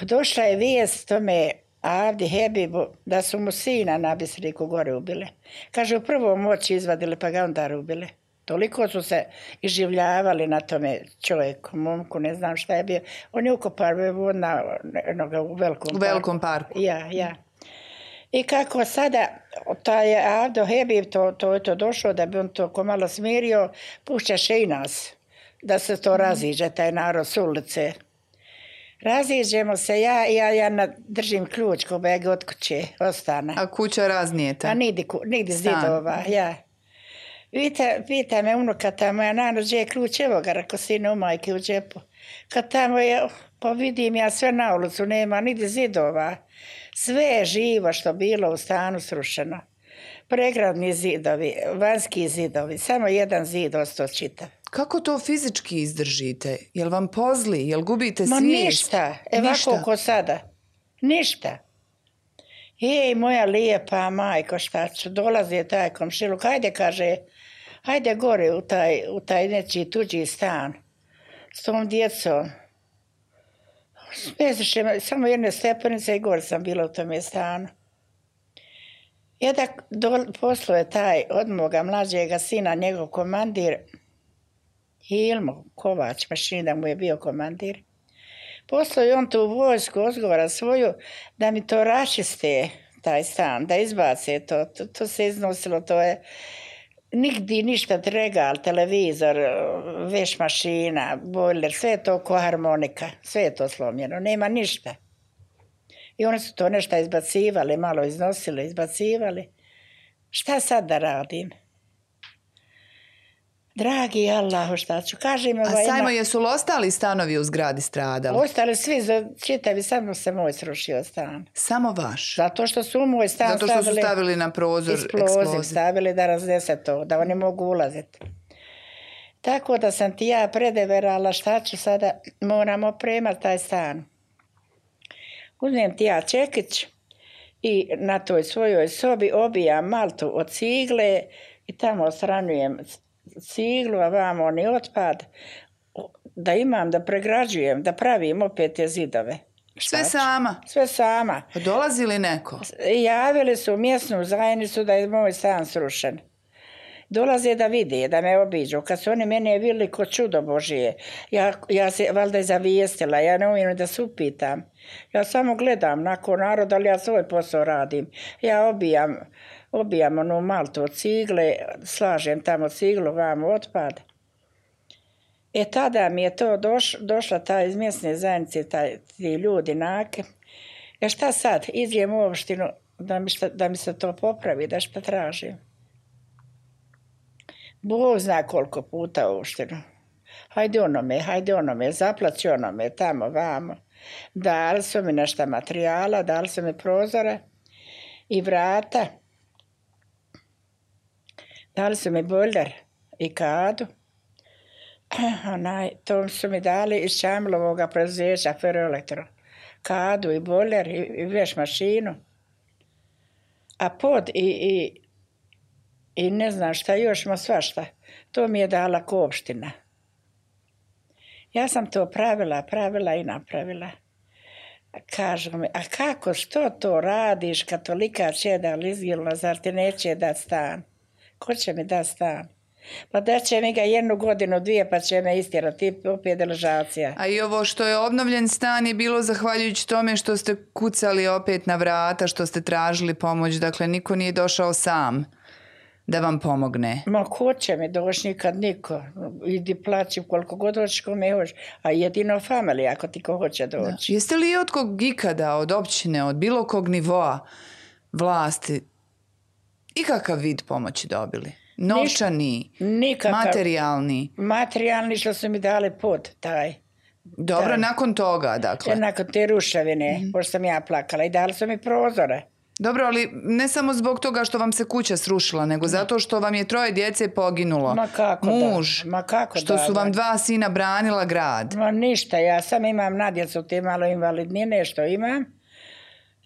Došla je vijest tome Avdi Hebibu da su mu sina na Bisriku gore ubile. Kaže, u prvom oči izvadili pa ga onda ubile. Toliko su se iživljavali na tome čovjeku, momku, ne znam šta je bio. On je ukopao u velikom parku. Ja. I kako sada, taj Avdo Hebib, to je to došlo, da bi on to ko malo smirio, pušćaše i nas, da se to raziđe, taj narod s ulice. Raziđemo se, ja držim ključ ko bege od kuće, ostane. A kuća raznijeta? A nigdje zidova, ja. Pita me unuka tamo, ja Nano, gdje je ključ, evo ga, rako sine u majke u džepu. Kad tamo je, pa vidim ja sve na ulicu, nema nigdje zidova. Sve je živo što bilo u stanu srušeno. Pregradni zidovi, vanjski zidovi, samo jedan zid ostao čitav. Kako to fizički izdržite? Jel vam pozli? Jel gubite svijest? Ma ništa, ovako ko sada. Ništa. Jej, moja lijepa majko, šta ću, dolazi taj komšiluk, hajde, kaže, hajde gore u taj nečiji tuđi stan s tom djecom. Smeziše, samo jedne stepenice i gore sam bila u tome stanu. Jedan posluje taj od moga mlađega sina, njegov komandir, Ilmo Kovač, mašini da mu je bio komandir. Posluje on tu vojsku, ozgovara svoju, da mi to rašiste, taj stan, da izbace to. To se iznosilo, to je nigdje ništa, regal, televizor, veš mašina, bojler, sve je to ko harmonika, sve je to slomljeno, nema ništa. I oni su to nešto izbacivali, malo iznosili, izbacivali. Šta sad da radim? Dragi Allahu, šta ću? Kažem, a Sajmo, jesu li ostali stanovi u zgradi stradali? Ostali svi, čitavi, samo se moj srušio stan. Samo vaš? Zato što su u moj stan stavili... Zato što su stavili na prozor eksploziv. Stavili da raznese to, da oni mogu ulaziti. Tako da sam ti ja predeverala, šta ću sada, moram opremati taj stan. Uzmem ti ja čekić i na toj svojoj sobi obijam maltu od cigle i tamo osranjujem ciglu, a vamo oni otpad, da imam, da pregrađujem, da pravim opet te zidove. Sve sama? Sve sama. Pa dolazi li neko? Javili su u mjesnu zajednicu da je moj stan srušen. Dolaze da vide, da me obiđu. Kad su oni mene vidjeli ko čudo Božije, ja se valjda je zavijestila, ja ne umijem da se upitam. Ja samo gledam nakon naroda, ali ja svoj posao radim. Ja obijam onu maltu od cigle, slažem tamo ciglu, vamo otpad. Tada mi je to došla ta iz mjesne zajednice, ti ljudi nake. Šta sad? Idem u opštinu da mi se to popravi, da šta tražim. Bog zna koliko puta u opštinu. Hajde onome, zaplaći onome, tamo, vamo. Dali su mi nešto materijala, dali su mi prozore i vrata. Dali su mi bojler i kadu To su mi dali iz Čamlovoga preduzeća Ferroelektro. Kadu i boiler i veš mašinu. A pod i ne znam šta još, ma svašta. To mi je dala opština. Ja sam to pravila i napravila. Kažu mi, a kako, što to radiš, katolika čeda lizgilna, zar ti neće dat stan? Ko će mi dat stan? Pa da će mi ga 1 godinu, 2, pa će me istjerati, opet deložacija. A i ovo što je obnovljen stan je bilo zahvaljujući tome što ste kucali opet na vrata, što ste tražili pomoć, dakle niko nije došao sam da vam pomogne. Ma ko će mi doći, nikad niko. Idi plaći koliko god hoćeš, kome hoćeš. A jedino familija ako ti ko hoće doći. Da. Jeste li od kog ikada, od općine, od bilo kog nivoa vlasti ikakav vid pomoći dobili? Novčani, materijalni? Materijalni što su mi dali pod taj. Dobro, nakon toga, dakle. Nakon te ruševine, pošto sam ja plakala i dali su mi prozore. Dobro, ali ne samo zbog toga što vam se kuća srušila, nego zato što vam je 3 djece poginulo. Ma kako muž, da? Ma kako što su vam 2 sina branila grad. Ma ništa, ja sam imam na djecu te malo invalidnine što imam.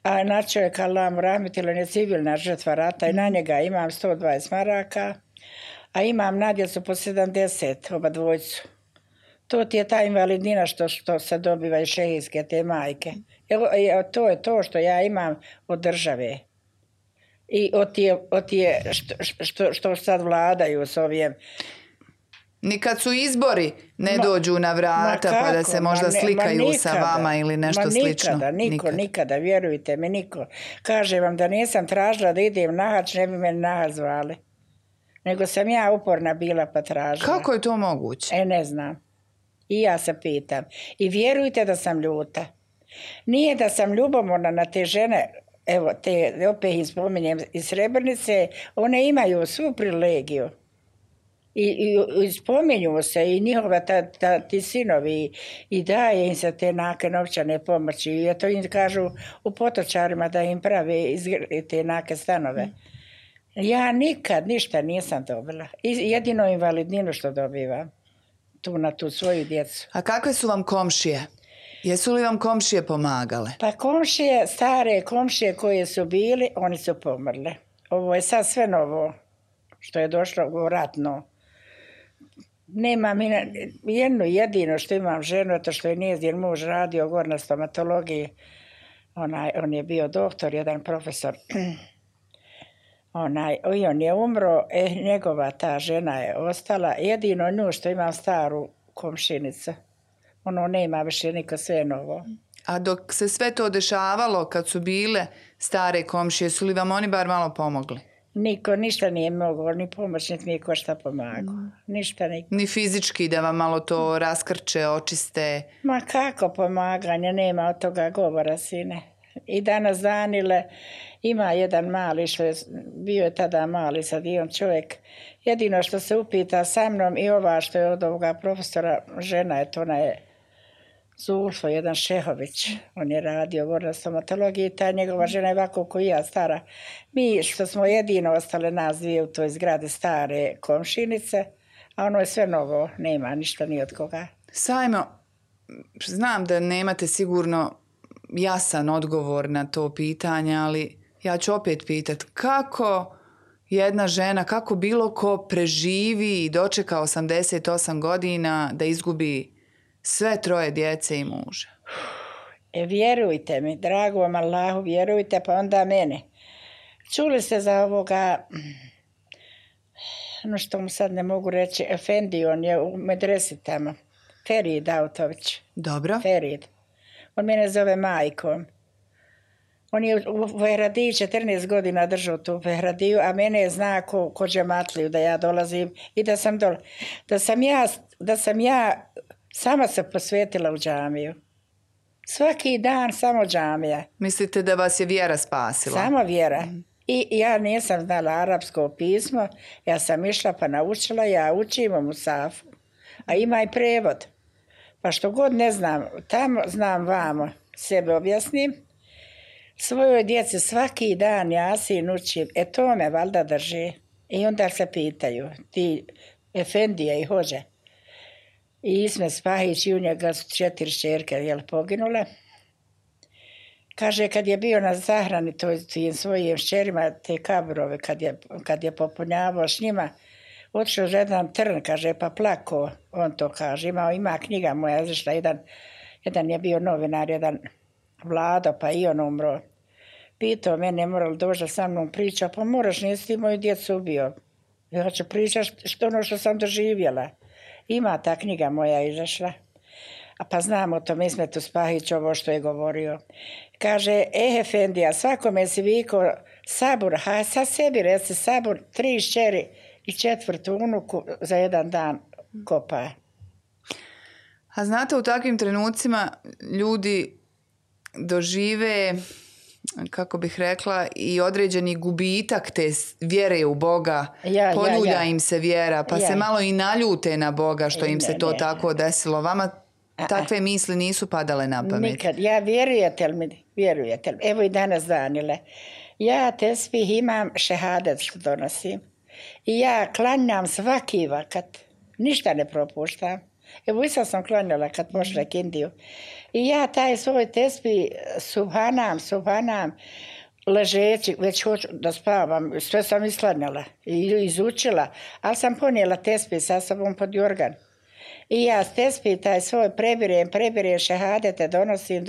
A na čovjeka Allah rahmetila je civilna žrtva rata i na njega imam 120 maraka. A imam na djecu po 70, oba dvojcu. To ti je ta invalidnina što se dobiva iz šehijske te majke. To je to što ja imam od države. I od tije što sad vladaju s ovim. Nikad su izbori ne dođu na vrata pa da se možda slikaju sa vama ili nešto slično. Nikada, vjerujte mi, niko. Kažem vam da nisam tražila da idem na hač, ne bi me na hač zvali. Nego sam ja uporna bila pa tražila. Kako je to moguće? Ne znam. I ja se pitam. I vjerujte da sam ljuta. Nije da sam ljubomorna na te žene, evo, te opet ih spominjem iz Srebrnice, one imaju svu privilegiju. I spominju se i njihova ti sinovi i daje im se te nake novčane pomoći. I to im kažu u Potočarima da im prave te nake stanove. Ja nikad ništa nisam dobila. Jedino invalidninu što dobivam. Tu na tu svoju djecu. A kakve su vam komšije? Jesu li vam komšije pomagale? Pa komšije, stare komšije koje su bili, oni su pomrle. Ovo je sad sve novo što je došlo u ratno. Nemam jedno jedino što imam ženu, to što je njezin muž radio gore na stomatologiji. On je bio doktor, jedan profesor. I on je umro, njegova ta žena je ostala. Jedino nju što imam staru komšinicu. Ono nema više niko, sve novo. A dok se sve to dešavalo, kad su bile stare komšije, su li vam oni bar malo pomogli? Niko, ništa nije mogao, ni pomoć, niti mi je ko šta pomagao. Ništa niko. Ni fizički da vam malo to raskrče, očiste? Ma kako pomaganje, nema od toga govora, sine. I danas Danile ima jedan mali, što je bio je tada mali, sad i on čovjek. Jedino što se upita sa mnom i ova što je od ovoga profesora, žena je to, ona je Zulfo, jedan Šehović. On je radio gore na stomatologiji, ta njegova žena je ovako ko i ja, stara. Mi što smo jedino ostale nas dvije u toj zgradi stare komšinice, a ono je sve novo, nema ništa ni od koga. Sajmo, znam da nemate sigurno jasan odgovor na to pitanje, ali ja ću opet pitati kako jedna žena, kako bilo ko preživi i dočeka 88 godina da izgubi sve 3 djece i muža? Vjerujte mi, drago vam Allahu, vjerujte, pa onda mene. Čuli ste za ovoga, no što mu sad ne mogu reći, Efendi, on je u medresi tamo, Ferid Autović. Dobro. Ferid. On mene zove majkom. On je u Vehradiji 14 godina držao tu Vehradiju, a mene je zna ko džematliju da ja dolazim i da sam da sam ja sama se posvetila u džamiju. Svaki dan samo džamija. Mislite da vas je vjera spasila? Samo vjera. I ja nisam znala arapsko pismo, ja sam išla pa naučila, ja učim u Musafu, a ima i prevod. Pa što god ne znam, tamo znam vamo, sebe objasnim, svojoj djeci svaki dan Jasin učim, to me valjda drži. I onda se pitaju, ti Efendije i hođe, I Ismet Spahić i u njega su 4 šćerke poginule. Kaže, kad je bio na zahrani tim svojim šćerima, te kaburove, kad je popunjavao s njima, otišao za jedan trn, kaže, pa plako, on to kaže. Ima knjiga moja, izašla, jedan je bio novinar, jedan Vlado, pa i on umro. Pitao mene, morali doći da sa mnom priča, pa moraš, nisi ti moju djecu ubio. Ja ću pričati što sam doživjela. Ima ta knjiga moja izašla. A pa znam o tom Ismetu Spahić ovo što je govorio. Kaže, efendija, svakome si vikao sabur, a sad sebi reci sabur, 3 šćeri i 4. unuku za jedan dan kopa. A znate, u takvim trenucima ljudi dožive, kako bih rekla, i određeni gubitak te vjere u Boga. Poljulja im se vjera, pa se malo i naljute na Boga što im se to tako desilo. Vama takve misli nisu padale na pamet? Nikad. Ja vjerujete li? Evo i danas Danile. Ja tesbih imam, šehadet što donosim. I ja klanjam svaki vakat. Ništa ne propuštam. Evo i sad sam klanjala kad pošla Indiju. I ja taj svoj tesbih subhanam, ležeći, već hoću da spavam, sve sam isklanjala i izučila, ali sam ponijela tesbih sa sobom pod jorgan. I ja tesbih taj svoj prebirem šehadete, donosim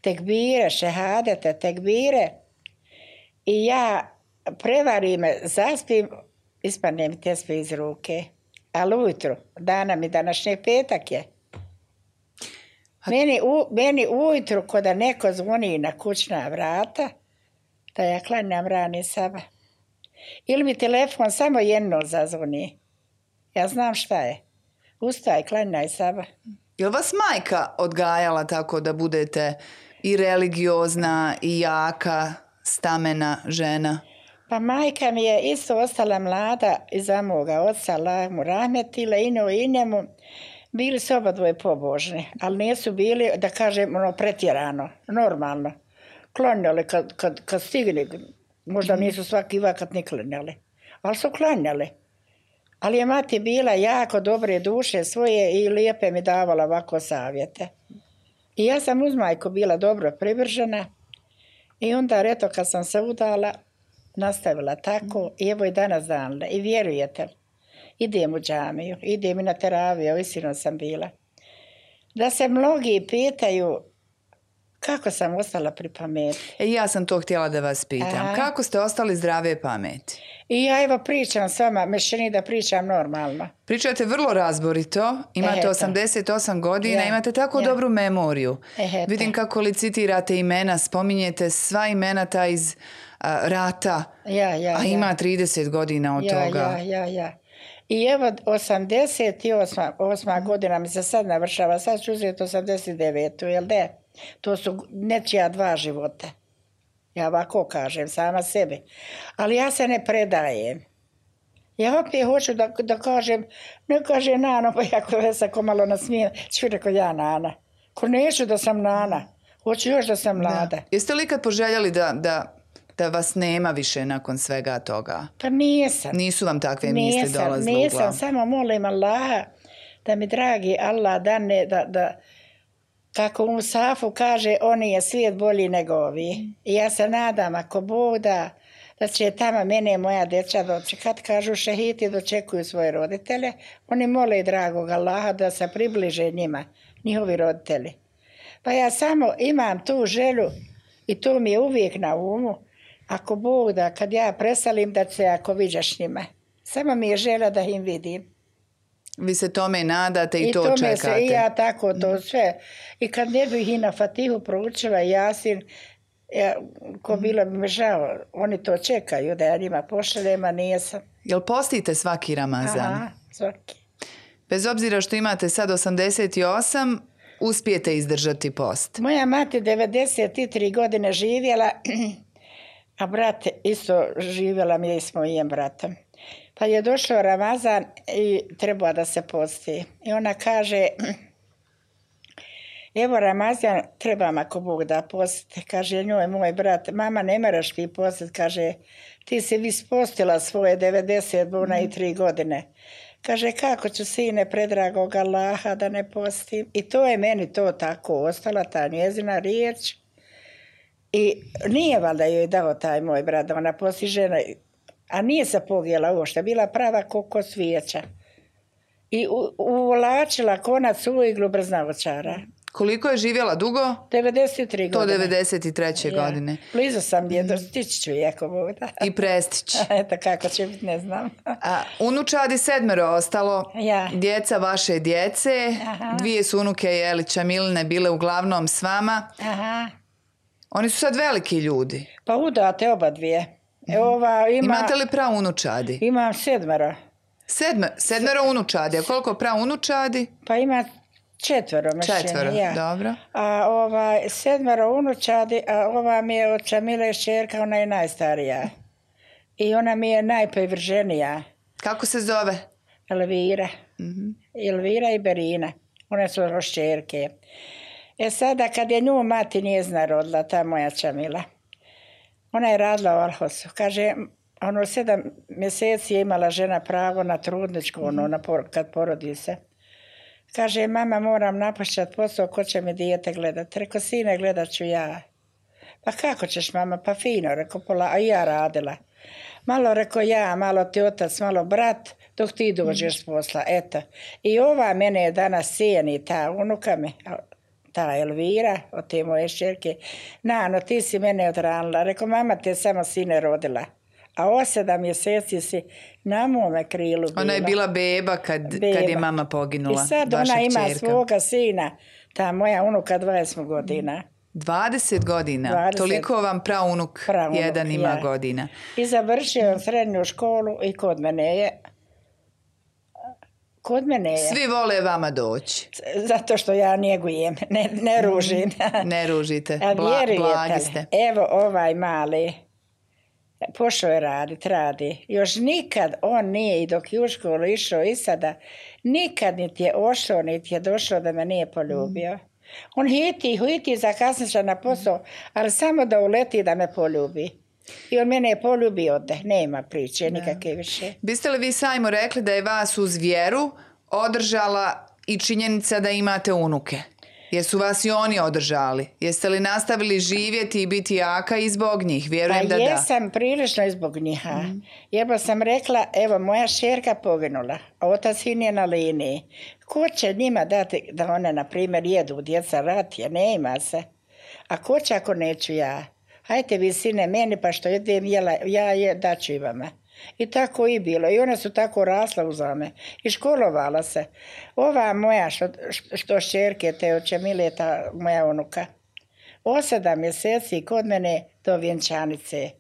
tekbire, šehadete, tekbire. I ja prevarim, zaspim, ispadne mi tesbih iz ruke. Ali ujutru, današnji petak je. Meni ujutru, kada neko zvoni na kućna vrata, da ja klanjam rani sabah. Ili mi telefon samo jedno zazvoni. Ja znam šta je. Ustaj, klanjaj sabah. Je li vas majka odgajala tako da budete i religiozna i jaka, stamena žena? Pa majka mi je isto ostala mlada iza moga oca, Allah mu rahmetila, i njemu. Bili su obadvoje pobožni, ali nisu bili, da kažem, pretjerano, normalno. Klanjali kad stigli, možda nisu svaki vakat ni klanjali, ali su klanjali. Ali je mati bila jako dobre duše svoje i lijepe mi davala ovako savjete. I ja sam uz majku bila dobro privržena i onda, eto, kad sam se udala, nastavila tako i evo i danas danle. I vjerujete, idem u džamiju, idem i na teraviju, istino sam bila. Da se mnogi pitaju kako sam ostala pri pameti. Ja sam to htjela da vas pitam. Kako ste ostali zdrave pameti? I ja evo pričam s vama, mešćini da pričam normalno. Pričate vrlo razborito, imate 88 godina, imate tako dobru memoriju. Vidim kako licitirate imena, spominjete sva imena ta iz rata, a ima 30 godina od toga. I evo 88 godina mi se sad navršava, sad ću uzeti 89, jel da? To su nečija 2 života. Ja ovako kažem, sama sebi. Ali ja se ne predajem. Ja opet hoću da kažem, ne kaže Nano, pa ja se ko malo nasmijem, ću rekao ja Nana. Ko neću da sam Nana, hoću još da sam mlada. Jeste li ikad poželjeli da vas nema više nakon svega toga? Pa nisam. Nisu vam takve misli dolazile u glavu? Nisam, samo molim Allaha da mi dragi Allah dane da kako u Musafu kaže, oni je svijet bolji nego ovi. I ja se nadam, ako Bog da će tamo mene i moja djeca doći. Kad kažu šehiti dočekuju svoje roditelje, oni mole dragog Allaha da se približe njima, njihovi roditelji. Pa ja samo imam tu želju i to mi je uvijek na umu, ako Bog da, kad ja presalim da se ako viđaš njima. Samo mi je želja da im vidim. Vi se tome nadate i to čekate. I ja tako to sve. I kad ne bih i na Fatihu proučila Jasin, ko bilo bi mi žao, oni to čekaju da ja njima pošaljem, a nisam. Jel postite svaki Ramazan? Aha, svaki. Bez obzira što imate sad 88, uspijete izdržati post? Moja mati 93 godine živjela, a brat isto živjela mi je s mojim bratom. Pa je došao Ramazan i treba da se posti. I ona kaže, evo Ramazan, trebam ako Bog da postite. Kaže njoj moj brat, mama ne moraš ti postiti. Kaže, ti si vi spostila svoje 93 godine. Kaže, kako ću sine predragog Allaha da ne postim. I to je meni to tako ostala, ta njezina riječ. I nije valjda joj dao taj moj brat da ona posti žena, a nije se pogijela uopšte, bila prava ko svijeća. I uvlačila konac u iglu brznavočara. Koliko je živjela dugo? 93 godine. To 93. godine. Blizu sam je, stići ću jako voda. I prestići. Eto kako će biti, ne znam. Unučadi 7 ostalo, ja. Djeca vaše djece, dvije su unuke Jelića Miline bile uglavnom s vama. Aha. Oni su sad veliki ljudi. Pa udate oba dvije. Imate li praunučadi? Imam 7. 7 unučadi, a koliko praunučadi? Pa ima 4 mašine. 4, dobro. A 7 unučadi, a ova mi je od Čamile šćerka, ona je najstarija. I ona mi je najprivrženija. Kako se zove? Elvira. Elvira i Berina. One su šćerke. Sada kad je nju mati njezina rodila, ta moja Čamila, ona je radila u Alhosu. Kaže, 7 mjeseci je imala žena pravo na trudničku, kad porodi se. Kaže, mama, moram napušćati posao, ko će mi dijete gledati? Reko, sine, gledat ću ja. Pa kako ćeš, mama? Pa fino, reko, a ja radila. Malo reko ja, malo ti otac, malo brat, dok ti dođeš s posla, eto. I ova mene je danas cijeni, ta unuka me, ta Elvira, od te moje šćerke. Nano, ti si mene odranila. Reko, mama te samo sine rodila. A 7 mjeseci si na mome krilu bila. Ona je bila beba kad je mama poginula. I sad ona ima svoga sina, ta moja unuka 20 godina. 20 godina? 20. Toliko vam praunuk jedan ima godina. I završio on srednju školu i kod mene je. Svi vole vama doći. Zato što ja njegujem, ne ružim. Ne ružite, blagi ste. Evo ovaj mali. Pošao je radi. Još nikad on nije, i dok je u školu išao i sada, nikad niti je ošao, niti je došao da me nije poljubio. On hiti zakasniša na posao, ali samo da uleti da me poljubi. I on mene je poljubio ode, nema priče, nikakve više. Biste li vi sajmo rekli da je vas uz vjeru održala i činjenica da imate unuke? Jesu vas i oni održali? Jeste li nastavili živjeti i biti jaka i zbog njih? Vjerujem da da. Jesam prilično i zbog njih. Jebo sam rekla, evo moja šerka poginula, a otac sin je na liniji. Ko će njima dati da one, na primjer, jedu djeca ratije? Ne ima se. A ko će ako neću ja? Hajte vi sine meni, pa što jedem ja daću i vama. I tako i bilo. I one su tako rasle uzame. I školovala se. Ova moja što šćerke te od Čamile, ta moja unuka, 8 mjeseci kod mene do vjenčanice.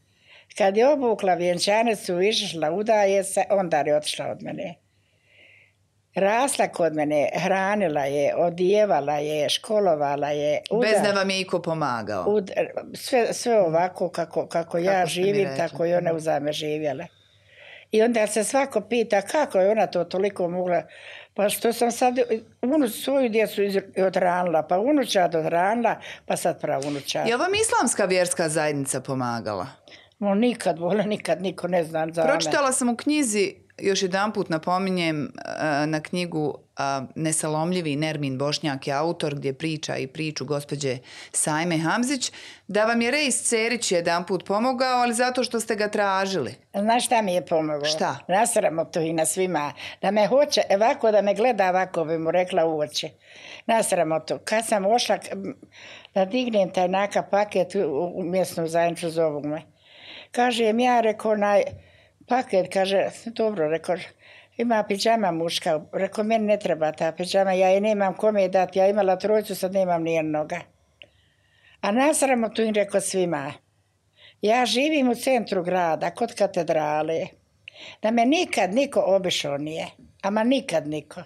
Kad je obukla vjenčanicu, išla, udaje se, onda je otišla od mene. Rasla kod mene, hranila je, odjevala je, školovala je. Bez da vam je iko pomagao? Sve ovako kako ja živim, tako i ona uzame živjela. I onda se svako pita kako je ona to toliko mogla. Pa što sam sad svoju djecu odranila, pa unučad odranila, pa sad pravunučad. Je li vam islamska vjerska zajednica pomagala? Nikad niko ne zna za me. Pročitala sam u knjizi, još jedanput napominjem, na knjigu Nesalomljivi Nermin Bošnjak je autor, gdje priča i priču gospođe Sajme Hamzić, da vam je Rejs Cerić jedanput pomogao, ali zato što ste ga tražili. Znaš šta mi je pomogao? Šta? Nasramo to i na svima. Da me hoće, ovako da me gleda, ovako bi mu rekla u oči. Nasramo to. Kad sam ošla da dignem taj naka paket u mjesnu zajednicu, zovu me. Kažem ja, rekao, paket, kaže, dobro, rekao, ima pidžama muška. Rekao, meni ne treba ta pidžama, ja je nemam kome je dati. Ja imala 3, sad nemam nijednoga. A nasramo tu im rekao svima. Ja živim u centru grada, kod katedrale. Da me nikad niko obišao nije. Ama nikad niko.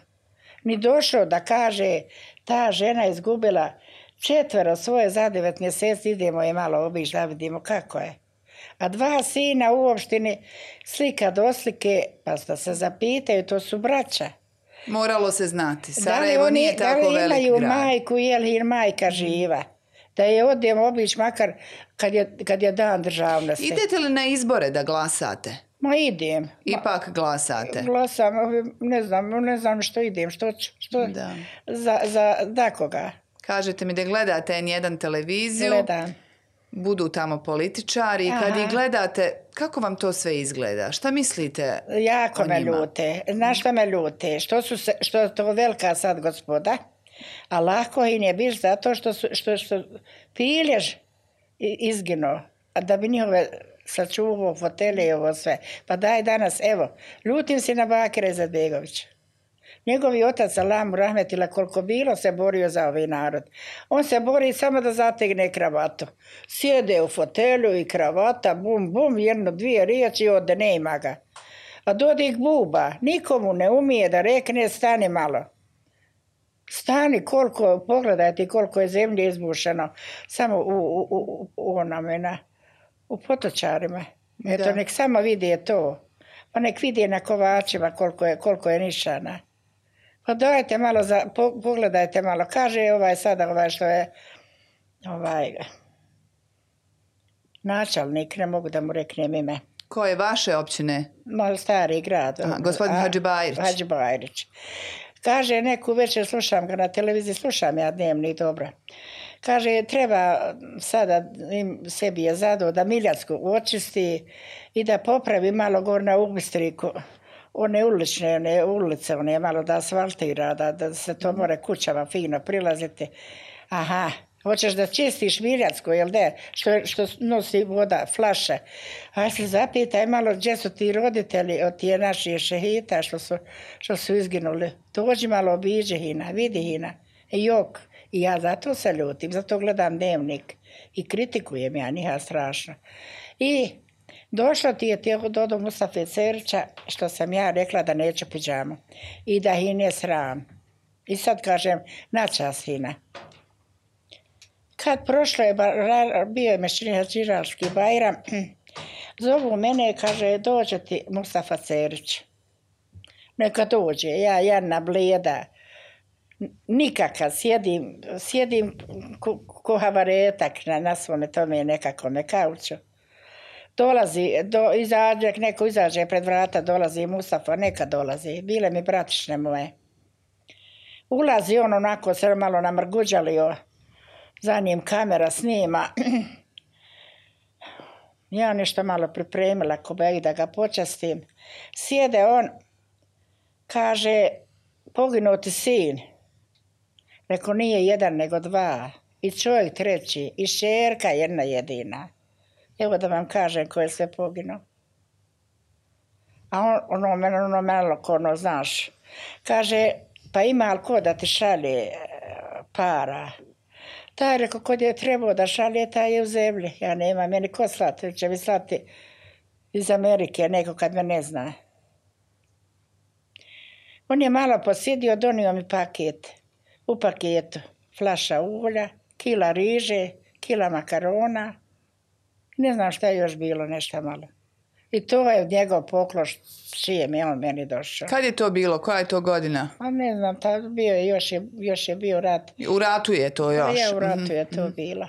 Ni došao da kaže, ta žena je izgubila 4 svoje za 9 mjeseci, idemo je malo obići da vidimo kako je. A 2 sina u opštini, slika do slike, pa da se zapitaju, to su braća. Moralo se znati. Sarajevo nije tako velik grad. Da li imaju majku, je li majka živa? Da je odem obići makar kad je dan državnosti. Idete li na izbore da glasate? Ma idem. Ipak glasate. Glasam, ne znam što idem, što Da. za koga. Kažete mi da gledate N1 televiziju. Gledam. Budu tamo političari i kad ih gledate, kako vam to sve izgleda? Šta mislite Jako o me njima? ljute. Znaš što me ljute? Što je to velika sad gospoda, a lako im je biš zato što Piljež izginuo, a da bi njihove sačuvao fotelje i ovo sve. Pa daj danas, evo, ljutim se na Bakira Izetbegovića. Njegovi otac Alamu Rahmetila koliko bilo se borio za ovaj narod. On se bori samo da zategne kravatu. Sjede u fotelju i kravata, bum, bum, jedno, dvije riječi i ode nema ga. A Dodik buba, nikomu ne umije da rekne stani malo. Stani pogledajte koliko je zemlje izbušeno samo u potočarima. Eto, nek samo vidi to. Pa nek vidi na Kovačima koliko je nišana. Pa dajte malo, pogledajte malo. Kaže sada što je načelnik, ne mogu da mu reknem ime. Ko je vaše općine? Malo stari grad. Gospodin Hadžibajrić. Hadžibajrić. Kaže, neku večer slušam ga na televiziji, slušam ja dnevnik dobro. Kaže, treba sada, sebi je zadao da Miljacku očisti i da popravi malo gore na Ubistriku. One ulice, malo da asfaltira, da se to more kućama fino prilaziti. Aha, hoćeš da čistiš Miljacku, jel de? Što nosi voda, flaše. A se zapitaj malo gdje su ti roditelji od tije naših šehita što su izginuli. Dođi malo obiđi hina, vidi hina. Jok. I ja zato se ljutim, zato gledam dnevnik i kritikujem ja njiha strašno. I došlo ti je Dodo Mustafe Cerića što sam ja rekla da neću pidžamu i da hin je sram. I sad kažem, načas hina. Kad prošlo je, bio je Mešćinski Bajram, zovu mene, kaže, dođe ti Mustafa Cerić. Neka dođe, ja jedna bleda, nikakav, sjedim ko havaretak na svome tome nekakome kauču. Dolazi, neko izađe pred vrata, dolazi Mustafa, neka dolazi, bile mi bratišne moje. Ulazi on onako, se malo namrguđalio, za njim kamera snima. Ja nešto malo pripremila kobeg da ga počastim. Sjede on, kaže, poginuti sin. Rekao, nije jedan nego dva. I čovjek treći, i šerka jedna jedina. Evo da vam kažem ko je sve poginuo. A ono malo ko znaš. Kaže, pa ima li ko da ti šalje para? Taj rekao, kod je trebao da šalje, taj je u zemlji. Ja nema, meni ko slati, će mi slati iz Amerike neko kad me ne zna. On je malo posjedio, donio mi paket. U paketu flaša ulja, kila riže, kila makarona. Ne znam šta je još bilo, nešto malo. I to je njegov poklon s čijem je on meni došao. Kad je to bilo? Koja je to godina? A ne znam, bio je, još je bio rat. U ratu je to još? Ja, u ratu je to bilo.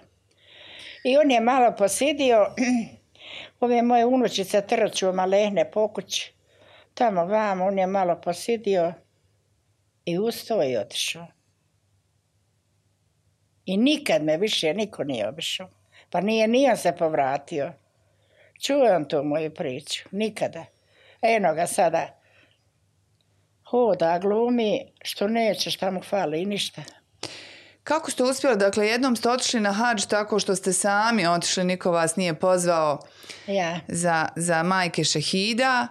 I on je malo posjedio, ove moje unučice trču malehne po kući. Tamo vamo, on je malo posjedio i ustao i otišao. I nikad me više niko nije obišao. Pa nije se povratio. Čuo on tu moju priču. Nikada. Eno ga sada. Hoda, glumi, što neće, šta mu fali i ništa. Kako ste uspjeli? Dakle, jednom ste otišli na hadž tako što ste sami otišli, niko vas nije pozvao za majke šehida.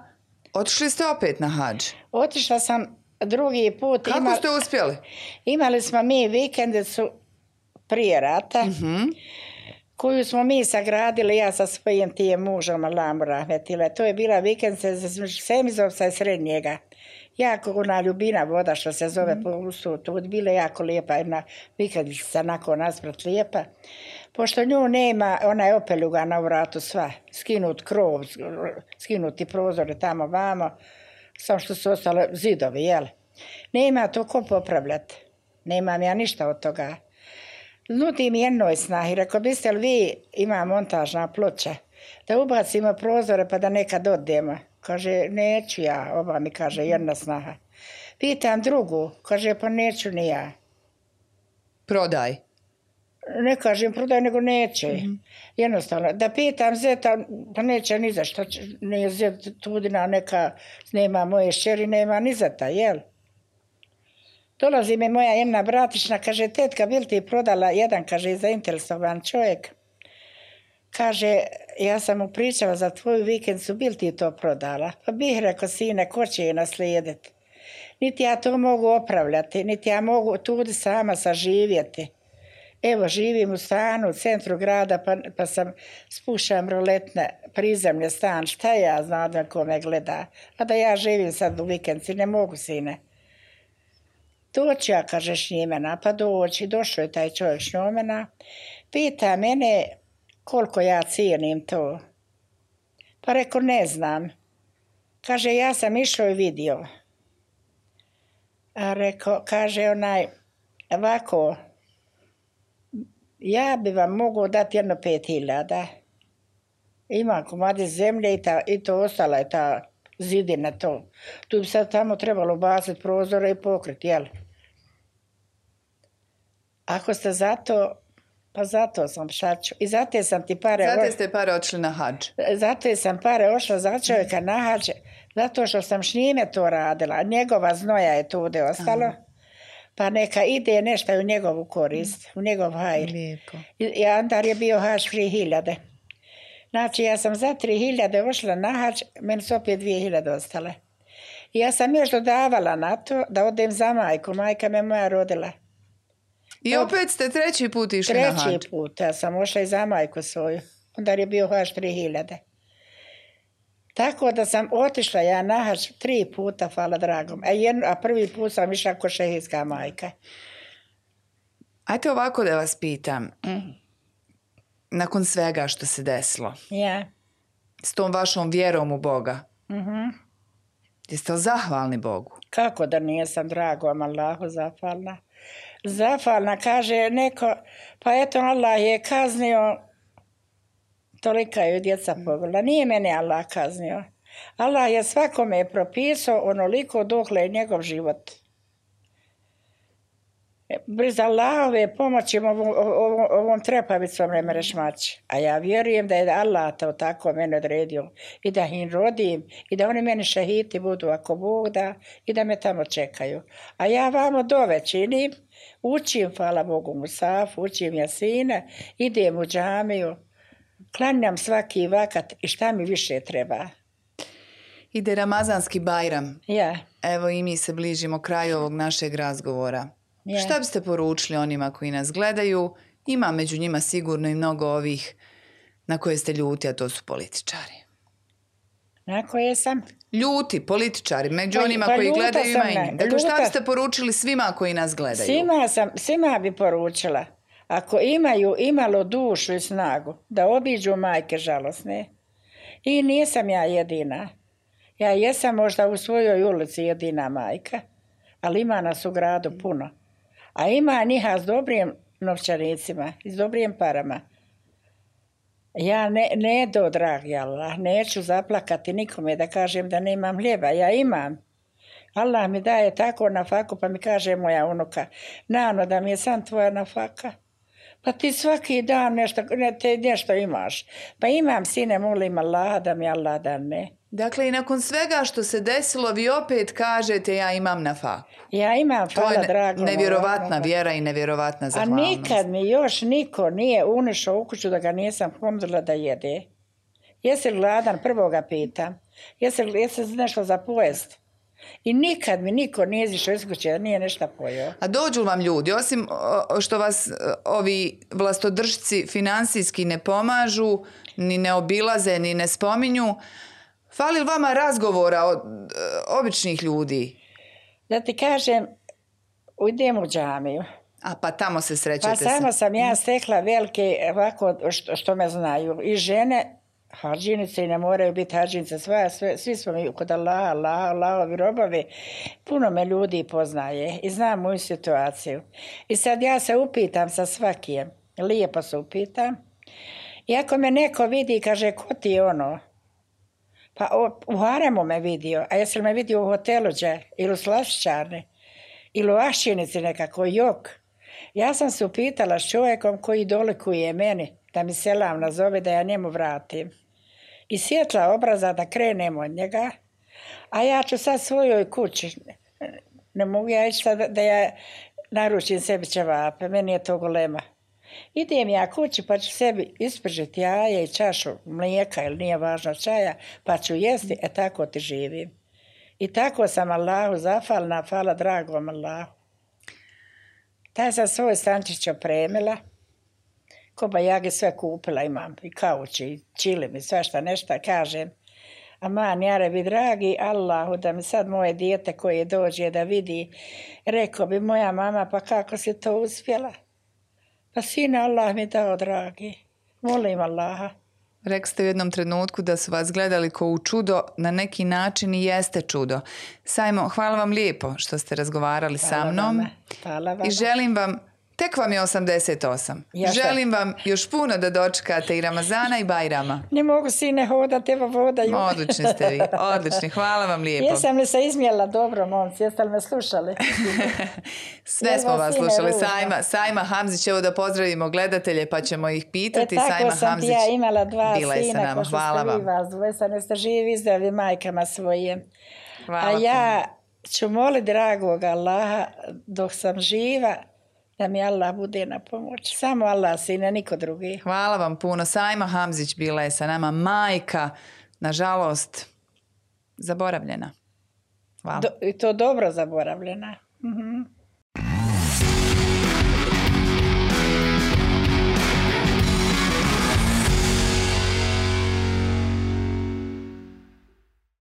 Otišli ste opet na hadž? Otišla sam drugi put. Kako ste uspjeli? Imali smo mi vikendicu prije rata, koju smo mi sagradili, ja sa svojim tijem mužom, Alamu Rahmetila. To je bila vikendica za Semizovca i Srednjega. Jako ona ljubina voda što se zove po ustu, to je bila jako lijepa, jedna vikendica nakon nasprat lijepa. Pošto nju nema, ona je opeljugana u vratu sva, skinut krov, skinuti prozore tamo vamo, samo što su ostale zidovi, jel? Nema to ko popravljati, nemam ja ništa od toga. Nudim jednoj snahi, rekao, biste li vi, ima montažna ploča, da ubacimo prozore pa da nekad odemo. Kaže, neću ja, ova mi kaže, jedna snaha. Pitam drugu, kaže, pa neću ni ja. Prodaj. Ne kažem prodaj, nego neće. Jednostavno. Da pitam zeta, pa neće ni za što. Nije zet tudina neka, nema moje šćeri, nema ni za ta, jel? Dolazi mi moja jedna bratična, kaže, tetka, bil ti prodala jedan, kaže, zainteresovan čovjek. Kaže, ja sam mu pričala za tvoju vikendicu, bil ti to prodala? Pa bih rekao, sine, ko će je naslijediti? Niti ja to mogu opravljati, niti ja mogu tudi sama saživjeti. Evo, živim u stanu u centru grada, pa sam spušam roletne prizemlje stan. Šta ja znam da ko me gleda? A da ja živim sad u vikendici, ne mogu, sine. Doći ja, kaže, šnjimena, pa doći. Došao je taj čovjek šnjomena. Pita mene koliko ja cijenim to. Pa reko, ne znam. Kaže, ja sam išao i vidio. A reko, kaže onaj, ovako, ja bi vam mogao dati jedno 5.000. Imam komade zemlje i to ostala je ta zidina to. Tu bi sad tamo trebalo baciti prozore i pokriti, jel? Ako ste zato, pa zato sam šaču. I zato sam ti pare... Zato ste pare otišli na hadž. Zato sam pare ošla za čovjeka na hadž, zato što sam s njime to radila. Njegova znoja je tude ostalo. Aha. Pa neka ide nešto u njegovu korist, u njegov hajr. Lijepo. I Andar je bio hač 3.000. Znači, ja sam za 3.000 ošla na hač, meni su opet 2.000 ostale. I ja sam još dodavala na to da odem za majku. Majka me moja rodila. I opet ste treći put išli na hač? Treći put, ja sam ošla i za majku svoju. Onda je bio hač 3.000. Tako da sam otišla ja na hač 3 puta, hvala dragom. A prvi put sam išla ko šehijska majka. Ajde ovako da vas pitam. Nakon svega što se desilo. Ja. S tom vašom vjerom u Boga. Jeste li zahvalni Bogu? Kako da nisam, dragom Allahu, zahvalna. Zahvalna, kaže neko, pa eto Allah je kaznio, tolika je djeca pogledala. Nije mene Allah kaznio. Allah je svakome propisao onoliko dokle je njegov život. Bez Allahove pomoći ovom trepavicom ne mereš maći. A ja vjerujem da je Allah to tako mene odredio. I da im rodim. I da oni meni šehiti budu ako Bog da. I da me tamo čekaju. A ja vamo dove činim. Učim, hvala Bogu, Musafu. Učim Jasine. Idem u džamiju. Klanjam svaki vakat. I šta mi više treba? Ide Ramazanski Bajram. Ja. Evo i mi se bližimo kraju ovog našeg razgovora. Ja. Šta biste poručili onima koji nas gledaju? Ima među njima sigurno i mnogo ovih na koje ste ljuti, a to su političari. Na koje sam? Ljuti, političari, među onima koji gledaju ima i njim. Dakle, šta biste poručili svima koji nas gledaju? Svima bi poručila. Ako imaju imalo dušu i snagu, da obiđu majke žalosne. I nisam ja jedina. Ja jesam možda u svojoj ulici jedina majka, ali ima nas u gradu puno. A ima njiha s dobrim novčanicima i s dobrim parama. Ja ne do dragi Allah, neću zaplakati nikome da kažem da nemam hljeba. Ja imam. Allah mi daje tako nafaku, pa mi kaže moja unuka, Nano, da mi je sam tvoja nafaka. Pa ti svaki dan nešto imaš. Pa imam, sine, molim Allaha da mi Allah dane. Dakle, i nakon svega što se desilo, vi opet kažete ja imam nafaku. Ja imam, hvala drago. To je nevjerovatna vjera i nevjerovatna zahvalnost. A nikad mi još niko nije unišao u kuću da ga nisam pomodila da jede. Jesi li gladan? Prvo ga pitam. Jesi nešto za pojest? I nikad mi niko nije izišao iz kuće da nije nešto pojeo. A dođu vam ljudi, osim što vas ovi vlastodržci finansijski ne pomažu, ni ne obilaze, ni ne spominju, fali li vama razgovora od običnih ljudi? Da ti kažem, idem u džamiju. A pa tamo se srećete pa samo sam ja stekla velike, ovako što me znaju. I žene, hađinice i ne moraju biti hađinice, svi smo mi kod Allahovi robovi. Puno me ljudi poznaje i znam moju situaciju. I sad ja se upitam sa svakijem, lijepo se upitam. I ako me neko vidi i kaže, ko ti je ono? Pa u haremu me vidio, a jesi li me vidio u hotelu gdje, ili u slastičarni, ili u Aščinici nekako, jok. Ja sam se upitala s čovjekom koji dolikuje meni, da mi selam nazove, da ja njemu vratim. I svjetla obraza da krenem od njega, a ja ću sad svojoj kući. Ne mogu ja ići sad da ja naručim sebi ćevape, meni je to golema. Idem ja kući pa ću sebi ispržiti jaje i čašu mlijeka ili nije važno čaja, pa ću jesti, tako ti živim. I tako sam Allahu zafalna, hvala dragom Allahu. Taj sam svoj stančić opremila, kobajage sve kupila imam, i kauč, i čilim, i svašta nešto, kažem. Aman, jarebi, dragi Allahu, da mi sad moje dijete koje dođe da vidi, rekao bi moja mama, pa kako si to uspjela? Pa sine, Allah mi dao, dragi. Molim Allaha. Rekli ste u jednom trenutku da su vas gledali ko u čudo, na neki način i jeste čudo. Sajmo, hvala vam lijepo što ste razgovarali sa mnom. Hvala vama. I želim vam, tek vam je 88. Želim vam još puno da dočekate i Ramazana i Bajrama. Ne mogu sine hodati, evo vodaju. Odlični ste vi, odlični. Hvala vam lijepo. Jesam li se izmjela dobro, momci? Jeste li me slušali? Sve smo vas slušali. Sajma Hamzić, evo da pozdravimo gledatelje pa ćemo ih pitati. Tako sam ti ja imala 2 sina, ko što hvala ste vi vas dvoje, neste živi, zdravi majkama svojim. A ja ću moliti dragog Allaha dok sam živa, da mi Allah bude na pomoć. Samo Allah, sine, niko drugi. Hvala vam puno. Sajma Hamzić bila je sa nama, majka, nažalost, zaboravljena. Hvala. I to dobro zaboravljena.